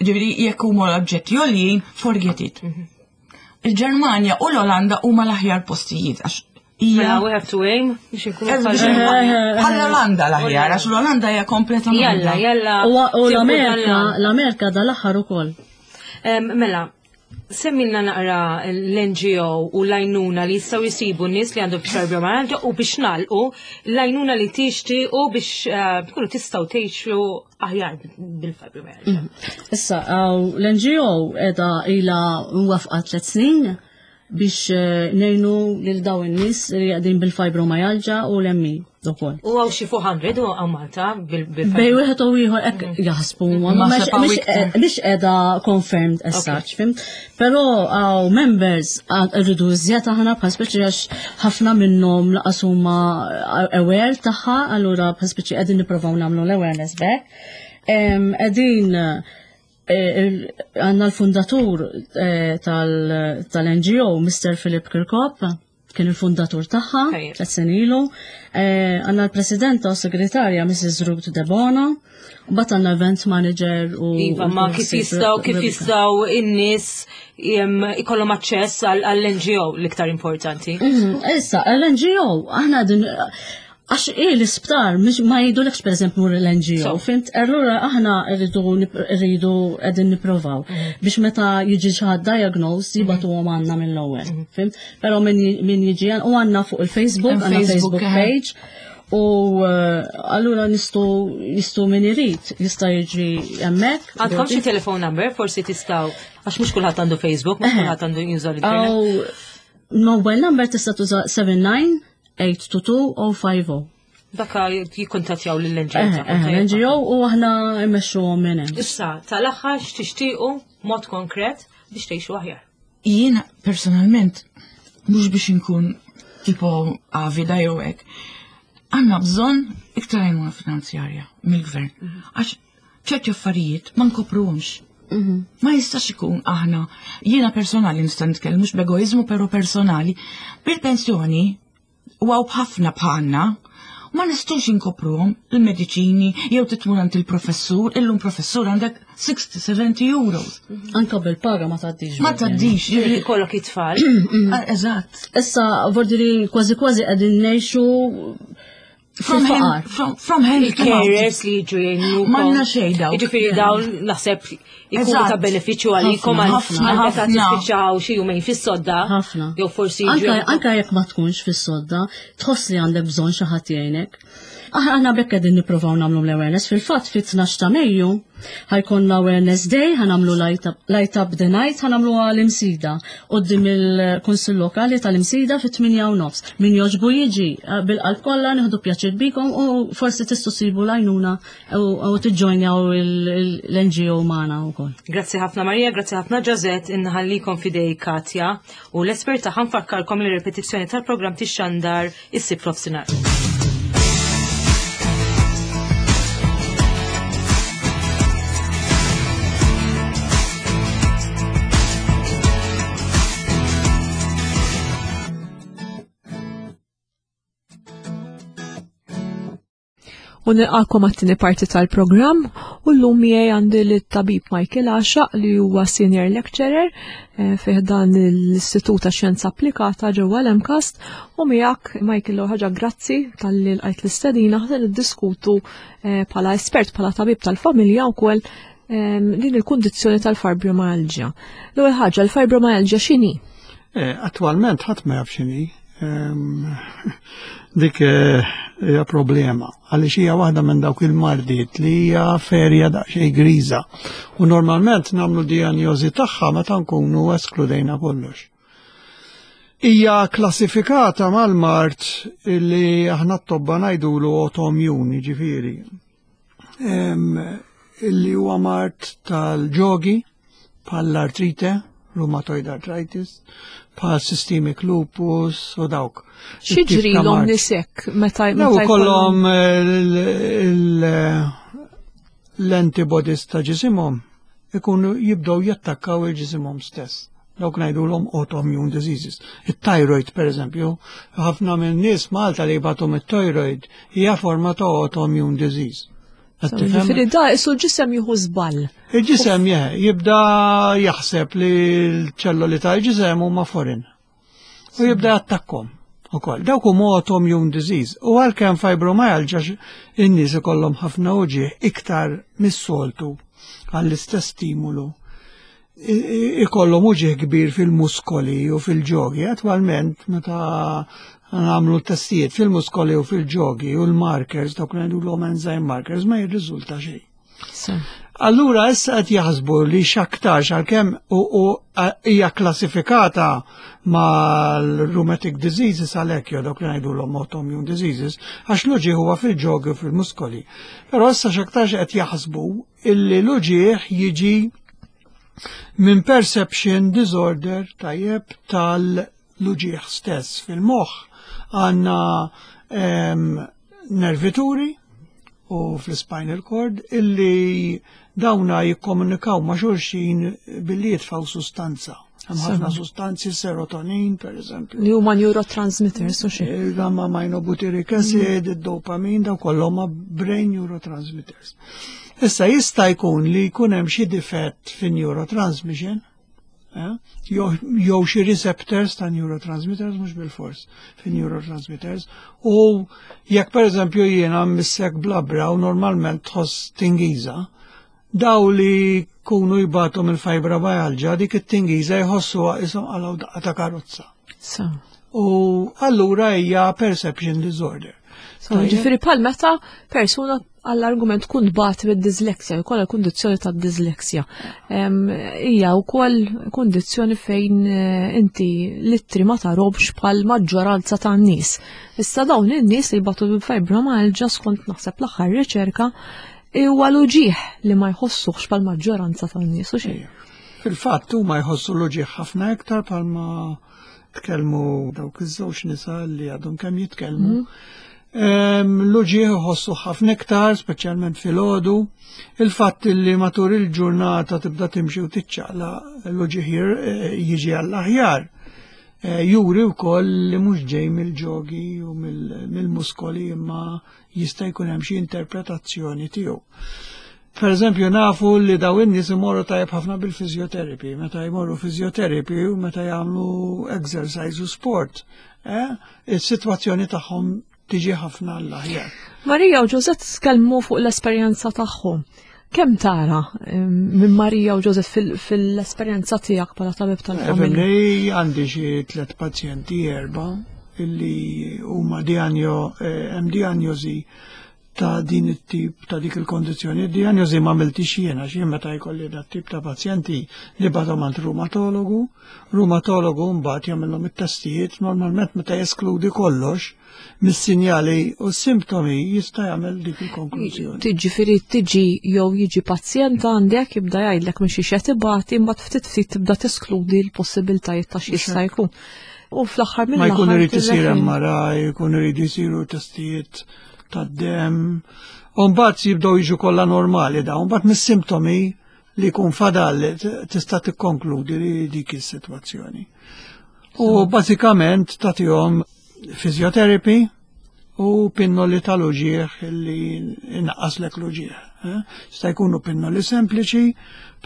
Ġifieri jekk huma l-oġġetti għoljin, forget it. Il-Ġermanja u l-Olanda huma l-aħjar postijiet għax hija Mela, we have to aim biex inkunu Bħal l-Olanda l-aħjar, għax l-Olanda hija kompletament. Jalla, jalla. U l-Amerika, l-Amerika dal-aħħar ukoll. Mela, semmilna naqra l-NGO u l-għajnuna li jistgħu jisibu n-nies li għandhom fibromyalgia u biex nagħlqu l-għajnuna li tixtiequ biex tkunu tistgħu tgħixu aħjar bil-fibromyalgia. Issa, l-NGO qiegħda ilha mwafqa 3 snin biex ngħinu lil dawn in-nies li qegħdin bil-fibromyalgia u l-ME ukoll. U hawn xi 400 u hawn Malta bil-fibromyalgia. Bej wieħed u ieħor hekk jaħsbu huma, ma Ma sepaw iktar. mhix qiegħda confirmed as such, fimt? Però hawn members rridu iżjed aħna bħal speċi għax ħafna minnhom laqas huma aware tagħha, allura bħal speċi qegħdin nippruvaw nagħmlu l-awareness back. Qegħdin għandna l-fundatur tal-NGO, Mr. Philip Kirkop, kien il-fundatur tagħha, 3 snin ilu. Għandna l-presidenta u segretarja Mrs. Ruth Debono, u bat għandna event manager u Iva, ma u kif Sir jistgħu, kif Rebecca. jistgħu in-nies ikollhom aċċess għall-NGO l-iktar importanti. Issa, l-NGO, aħna din għax i l-isptar, mhux ma jgħidulekx per eżempju mur l-NGO, fimt? Allura aħna rridu qegħdin nipprovaw biex meta jiġi xi ħadd diagnosed jibagħtuhom għandna mill-ewwel, fimt? Però min jiġi u għandna fuq il-Facebook, Hemm għandna Facebook, Facebook page, u allura nistgħu min irid jista' jiġi hemmhekk. Għandkom xi telephone number, forsi tistgħu, għax mhux kulħadd għandu Facebook, mhux kulħadd għandu juża l-internet. Aw, mobile number tista' tuża seven nine eight two two oh five oh. Dakka jikkuntattjaw lill-N G O tagħkom, tajjeb. L-NGO u aħna mmexxuhom minn hemm. Issa, tal-aħħar x'tixtiequ mod konkret biex tgħixu aħjar? Jiena personalment mhux biex inkun tipo avida jew hekk. Għandna bżonn iktar għajnuna finanzjarja mill-gvern. Għax ċerti affarijiet ma nkopruhomx. Ma jistax ikun aħna, jiena personali nista' nitkellem mhux b'egoiżmu però personali, bil-pensjoni u għaw b'ħafna bħalna, ma nistgħux inkopruhom il-mediċini jew titmur għand il-professur, illum professur għandek 60-70 euros. Anka bil-paga ma tgħaddix. Ma tgħaddix, Ġifieri ikollok it-tfal. Eżatt. Issa vordiri kważi kważi qegħdin ngħixu From fil-faqar. from hand to mouth. Il-carers li jiġu jgħinukom. M'għandna xejn dawk. Jiġifieri dawn naħseb ikunu Eżatt. ta' benefiċċju għalikom Ħafna, ħafna, għal meta ħafna. tispiċċaw xi jumejn fis-sodda. Ħafna. Jew forsi jiġu Anka jgħinukom. jekk ma tkunx fis-sodda, tħoss li għandek bżonn xi ħadd jgħinek. Aħna bekk qegħdin nippruvaw nagħmlu l-awareness. Fil-fatt fit-12 ta' Mejju ħa jkollna awareness day, ħa nagħmlu light up the night, ħa nagħmlu l-Imsida quddiem il-Kunsill Lokali tal-Imsida fit-8:30. Min jogħġbu jiġi eh, bil-qalb kollha nieħdu pjaċir bikom u forsi tistgħu sibu l-għajnuna u tiġġojnjaw l-NGO magħna wkoll. Grazzi ħafna Marija, grazzi ħafna Josette, inħallikom fidej Katja u l-espert tagħha nfakkarkom li repetizzjoni tal-programm tixxandar is-Sibt f'nofsinhar. U nilqakom għat-tieni parti tal-programm u llum miegħi għandi lit-tabib Michael Għaxaq li huwa senior lecturer eh, fih dan l-Istitut ta' Xjenza Applikata ġewwa l-MCAST u miegħek Michael ħaġa grazzi talli lqajt l-istedina ħa niddiskutu eh, bħala espert bħala tabib tal-familja wkoll ehm, din il-kundizzjoni tal-fibromyalgia. L-ewwel ħaġa l-fibromyalgia x'inhi? Eh, attwalment ħadd ma jaf x'inhi. Ehm, dik eh, hija problema għaliex hija waħda minn dawk il-mardiet li hija ferja daqsxejn griża. U normalment nagħmlu dijanjożi tagħha meta nkunu eskludejna kollox. Hija klassifikata mal-mart li aħna t-tobba ngħidulu autoimmune, jiġifieri. Ehm, illi huwa mart tal-ġogi bħall-artrite, rheumatoid arthritis, bħal systemic lupus u dawk. X'jiġrilhom nisek meta meta jkollhom l-antibodies ta' ġisimhom ikunu jibdew jattakkaw il-ġisimhom stess. Dawk ngħidulhom autoimmune diseases. It-thyroid, per eżempju, ħafna minn nies Malta li jbatu mit-thyroid hija forma ta' autoimmune disease. Ġifieri da isu l-ġisem jieħu żball. Il-ġisem jibda jaħseb li l-ċelloli tal-ġisem huma foreign. U jibda jattakkom ukoll. Dawk huma autoimmune disease. U għalkemm fibromyalgia in-nies ikollhom ħafna uġigħ iktar mis-soltu għall-istess stimulu ikollhom uġigħ kbir fil-muskoli u fil-ġogi. Attwalment meta nagħmlu testijiet fil-muskoli u fil-ġogi u l-markers, dawk ngħidulhom enzyme markers, ma jirriżulta xejn. Allura issa qed jaħsbu li x'aktarx għalkemm u hija klassifikata mal-rheumatic diseases għalhekk jew dawk li ngħidulhom autoimmune diseases, għax l-uġigħ huwa fil-ġogi u fil-muskoli. Però issa x'aktarx qed jaħsbu illi l-uġigħ jiġi minn perception disorder tajjeb tal-uġigħ stess fil-moħħ għandna ehm, nervituri u fl-spinal cord illi dawna jikkomunikaw ma' xulxin billi jitfaw sustanza. Hemm ħafna sustanzi serotonin, per eżempju. Li huma neurotransmitters u xi. Il-gamma aminobutyric acid, mm. id-dopamin, daw kollha huma brain neurotransmitters. Issa jista' jkun li jkun hemm xi difett fin-neurotransmission, eh, jew xi receptors ta' neurotransmitters mhux bil-fors fin neurotransmitters u jekk pereżempju jiena missek blabra u normalment tħoss tingiża, daw li kunu jbatu mill-fibromyalgia dik it-tingiża jħossuha qishom qalgħu daqqa ta' karozza. U allura hija perception disorder. Ġifieri bħal meta persuna għall-argument tkun tbati mid-disleksja, jkollha kundizzjoni ta' disleksja. Hija wkoll kundizzjoni fejn eh, inti littri ma tarobx bħal maġġoranza tan-nies. Issa dawn in-nies li jbatu bil-fibromyalgia skont naħseb l-aħħar riċerka huwa l-uġigħ li ma jħossuhx bħal maġġoranza tan-nies u xejn. Fil-fatt huma jħossu l-uġigħ ħafna iktar bħalma tkellmu dawk iż-żewġ nisa li għadhom kemm jitkellmu. Mhm. L-uġieħ iħossu ħafna iktar, speċjalment fil-ħodu. Il-fatt li matul il-ġurnata tibda timxi u tiċċaqla l-uġieħ eh, jiġi għall-aħjar. Eh, juri wkoll li mhux ġej mill-ġogi u mill-muskoli imma jista' jkun hemm xi interpretazzjoni tiegħu. Per eżempju, nafu li daw in-nies imorru tajjeb ħafna bil-physiotherapy, meta jmorru physiotherapy u meta jagħmlu exercise u sport, eh, is-sitwazzjoni tagħhom tiġi ħafna l-aħjar. Marija u Ġożett tkellmu fuq l-esperjenza tagħhom. Kemm tara eh, minn Marija u Ġożett fil-esperjenza tiegħek bħala tabib tal-familja? Eh, għandi xi tliet pazjenti erba' illi huma dijanjo eh, hemm dijanjosi. ta' din it-tip ta' dik il-kondizzjoni. Diagnosi ma għamiltix jiena, xi meta jkolli dat tip ta' pazjenti li bagħthom għand rumatologu, rumatologu mbagħad jagħmilhom it-testijiet normalment meta jeskludi kollox mis-sinjali u s-simptomi jista' jagħmel dik il-konklużjoni. Tiġifieri tiġi jew jiġi pazjent għandek jibda jgħidlek minn xi qed ibati imbagħad ftit ftit tibda teskludi l-possibiltajiet ta' x'jista' jkun. U fl-aħħar mill Ma jkun irid isir MRI, jkun irid isiru testijiet tad-demm. U mbagħad jibdew jiġu kollha normali dawn, mbagħad mis-simptomi li jkun fadal tista' tikkonkludi li dik is-sitwazzjoni. U bażikament tagħtihom physiotherapy u pinnoli tal-uġieħ li inaqqaslek l-uġieħ. Eh? Jista' jkunu pinnoli sempliċi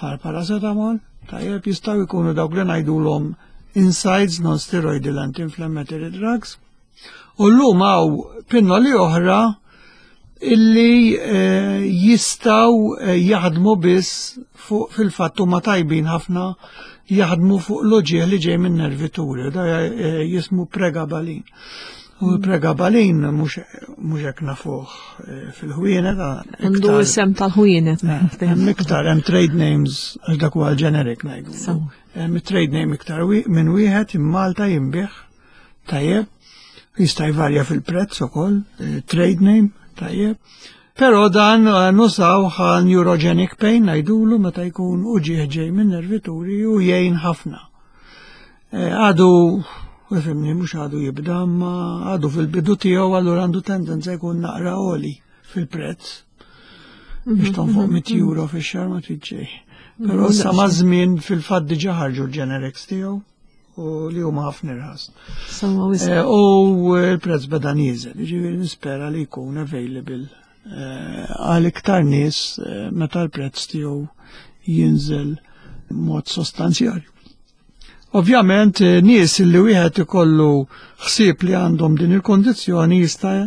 bħal paracetamol, tajjeb jistgħu jkunu dawk li ngħidulhom insides non-steroidal anti-inflammatory drugs. U llum hawn pinnoli oħra illi eh, jistaw eh, jaħdmu biss fuq fil-fatt huma tajbin ħafna jaħdmu fuq l-uġieħ li ġej minn nervituri, da eh, jismu pregabalin. U mm. pregabalin mhux hekk nafuh fil-ħwienet. Għandu isem tal-ħwienet. Hemm iktar hemm trade names għax dak huwa l-generic ngħidu. Hemm trade name iktar minn wieħed immalta jinbih Tajjeb, jista' jvarja fil-prezz ukoll, eh, trade name, tajjeb. Però dan eh, nużaw għal neurogenic pain ngħidulu meta jkun uġieħ ġej minn nervituri u jgħin ħafna. Eh, għadu, fimni, mhux għadu jibda, ma għadu fil-bidu tiegħu allura għandu tendenza jkun naqra oli fil-prezz. Biex tonfoq 100 mhm, euro fix-xahar ma trid xejn. Però sa ma' żmien fil-fatt diġà ħarġu l-generics tiegħu u li huma ħafna irħas. Eh, u l-prezz beda nieżel, ġifieri nispera li jkun available eh, għal iktar nies eh, meta l-prezz tiegħu jinżel mod sostanzjali. Ovvjament nies li wieħed ikollu ħsieb li għandhom din il-kondizzjoni jista'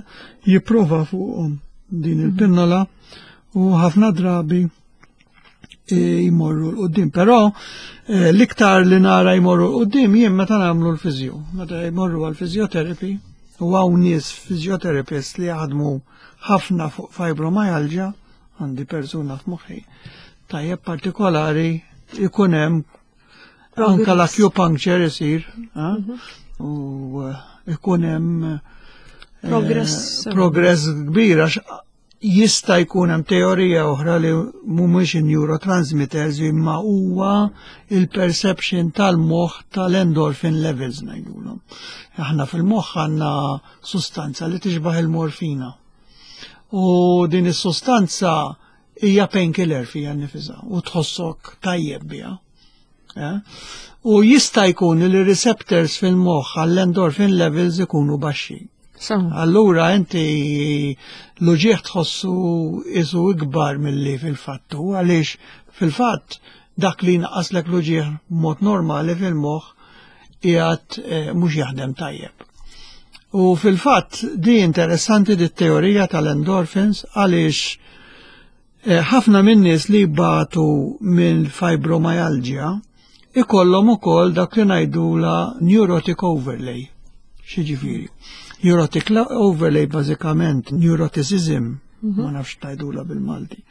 jipprova fuqhom din il-pinnola u ħafna drabi jmorru l-qoddim. Però eh, l-iktar li nara jmorru l-qoddim jien meta nagħmlu l-fizjo, meta jmorru għal-fizjoterapy u hawn nies fizjoterapist li jaħdmu ħafna fuq fibromyalgia, għandi persuna f'moħħi, tajjeb partikolari ikun hemm anka l-acupuncture isir eh, mhm. u eh, ikun hemm progress progress kbir għax Jista' jkun hemm teorija oħra li mhumiex in-neurotransmitters imma huwa il-perception tal-moħħ tal-endorphin levels ngħidulhom. Aħna fil-moħħ għandna sustanza li tixbaħ il-morfina. U din is-sustanza hija painkiller fija nnifisha u tħossok tajjeb biha. Eh? U jista' jkun li receptors fil-moħħ għall-endorphin levels ikunu baxxi. Allura inti l-uġieħ tħossu isu ikbar milli fil-fattu, għaliex fil-fatt dak li naqaslek l-uġieħ mod normali fil-moħħ qiegħed eh, mhux jaħdem tajjeb. U fil-fatt di interessanti di teorija tal-endorphins għaliex Eh, ħafna minn nies li jbatu minn fibromyalgia ikollhom ukoll dak li ngħidula neurotic overlay. Xi Neurotic overlay bażikament neuroticism, mhm. ma nafx ngħidula bil-Malti.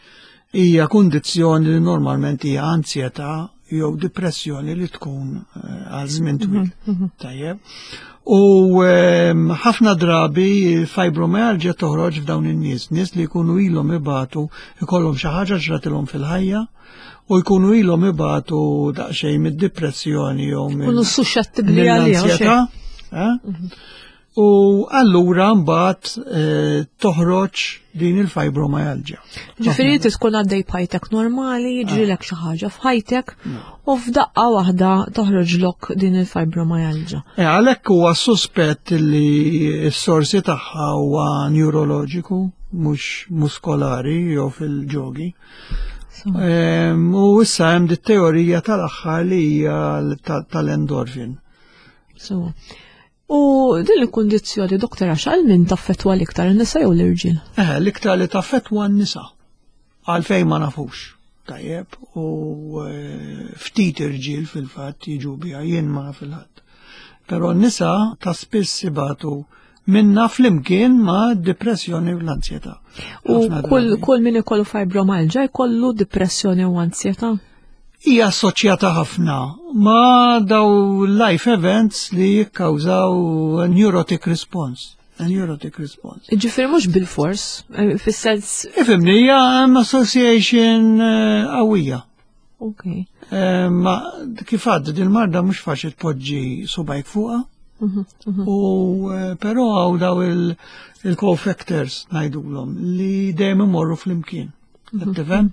Hija kundizzjoni li normalment hija ansjetà jew depressjoni li tkun eh, għal żmien twil. Mhm, mhm. Tajjeb. U ehm, ħafna drabi fibromyalgia toħroġ f'dawn in-nies, nies li jkunu ilhom ibatu ikollhom xi ħaġa ġratilhom fil-ħajja u jkunu ilhom ibatu daqsxejn mid-depressjoni jew minn. Kunu suscettibbli għall-ansjetà. Eh? Mhm. U allura mbagħad eh, toħroġ din il-fibromyalgia. Ġifieri inti tkun għaddej b'ħajtek normali, jiġrilek xi ħaġa f'ħajtek u f'daqqa waħda toħroġlok din il-fibromyalgia. Eh, għalhekk huwa suspett li s-sorsi tagħha huwa neuroloġiku, mhux muskolari jew fil-ġogi. Ehm, u issa hemm dit teorija tal-aħħar li hija tal-endorfin. So, U din il-kundizzjoni, doktor, għax għal min taffetwa l-iktar, n-nisa jew l-irġiel? Eh, l-iktar li taffetwa n-nisa. Għalfejn ma nafux. Tajjeb, u eh, ftit irġiel fil-fatt jiġu biha jien ma fil-ħadd. Però n-nisa ta' spiss ibatu minna flimkien ma' depressjoni u l-ansjetà. U kull, kull min ikollu fibromalġa jkollu depressjoni u ansjetà? Hija assoċjata ħafna ma' daw life events li jikkawżaw neurotic response. A neurotic response. Ġifieri mhux bil-fors, eh, fis-sens. Ifimni, hija hemm association eh, qawwija. Ok. Eh, ma kif għad din marda mhux faċli tpoġġi subajk fuqha. Mhm, mhm. U eh, però għaw daw il-co-factors ngħidulhom li dejjem imorru flimkien. Mhm. Tifhem?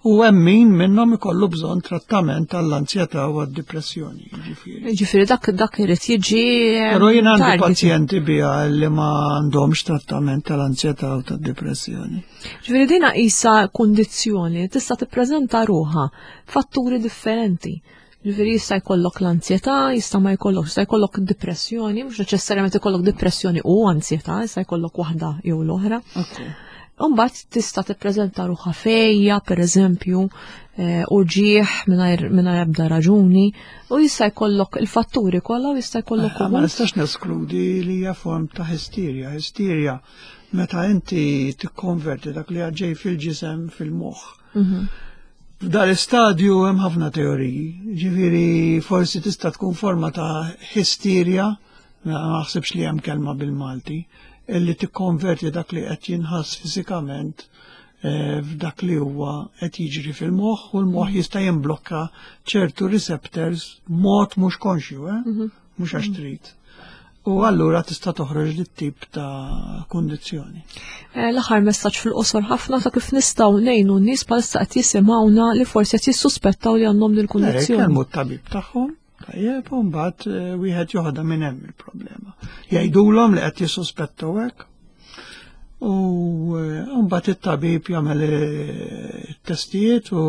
U hemm min minnhom ikollu bżonn trattament għall-anzjetà u għad-depressjoni, ġifieri. Ġifieri dak dak irid jiġi. Eh, però jien għandi pazjenti biha li ma għandhomx trattament tal-anzjetà u tad-depressjoni. Ġifieri dina qisha kundizzjoni tista' tippreżenta ruħha fatturi differenti. Ġifieri jista' jkollok l-anzjetà, jista' ma jkollok, jista' jkollok depressjoni, mhux neċessarjament ikollok depressjoni u anzjetà, jista' jkollok waħda jew l-oħra. Umbagħad tista' tippreżenta ruħha fejja, pereżempju, eh, u ġieħ mingħajr ebda raġuni, u jista' jkollok il-fatturi kollha u jista' jkollok eh, Ma nistax neskludi li hija form ta' hysteria. Hysteria meta inti tikkonverti dak li għadġej fil-ġisem fil-moħħ. Mhm. F'dal istadju hemm ħafna teoriji, ġifieri forsi tista' tkun forma ta' hysteria, ma naħsibx li hemm kelma bil-Malti, illi tikkonverti dak li qed jinħass fiżikament eh, f'dak li huwa qed jiġri fil-moħħ u l-moħħ jista' jimblokka ċertu receptors mod mhux konxju, eh? Mhm. Mhux għax trid. U allura tista' toħroġ dit tip ta' kundizzjoni. Eh, l-aħħar messaġġ fil-qosor ħafna ta' kif nistgħu ngħinu n-nies bħalissa qed jisimgħuna li forsi qed jissuspettaw li għandhom din il-kundizzjoni. Eh, kellmu t-tabib tagħhom, tajjeb, u mbagħad eh, wieħed joħodha minn hemm il-problema. Jgħidulhom li qed jissuspettaw hekk. U mbagħad it-tabib jagħmel it-testijiet u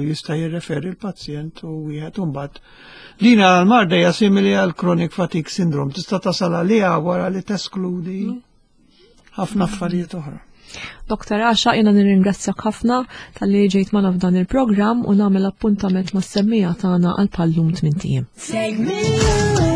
jista' jirreferi l-pazjent u wieħed mbagħad Din għal-marda hija simili għal chronic fatigue syndrome, tista' tasal għaliha wara li teskludi ħafna affarijiet oħra. Dr. Asha, jena nirringrazzjak ħafna tal-li ġejt magħna f'dan il-programm u nagħmel appuntament mas-semmija tagħna għal pallum tmint ijiem. Take me away.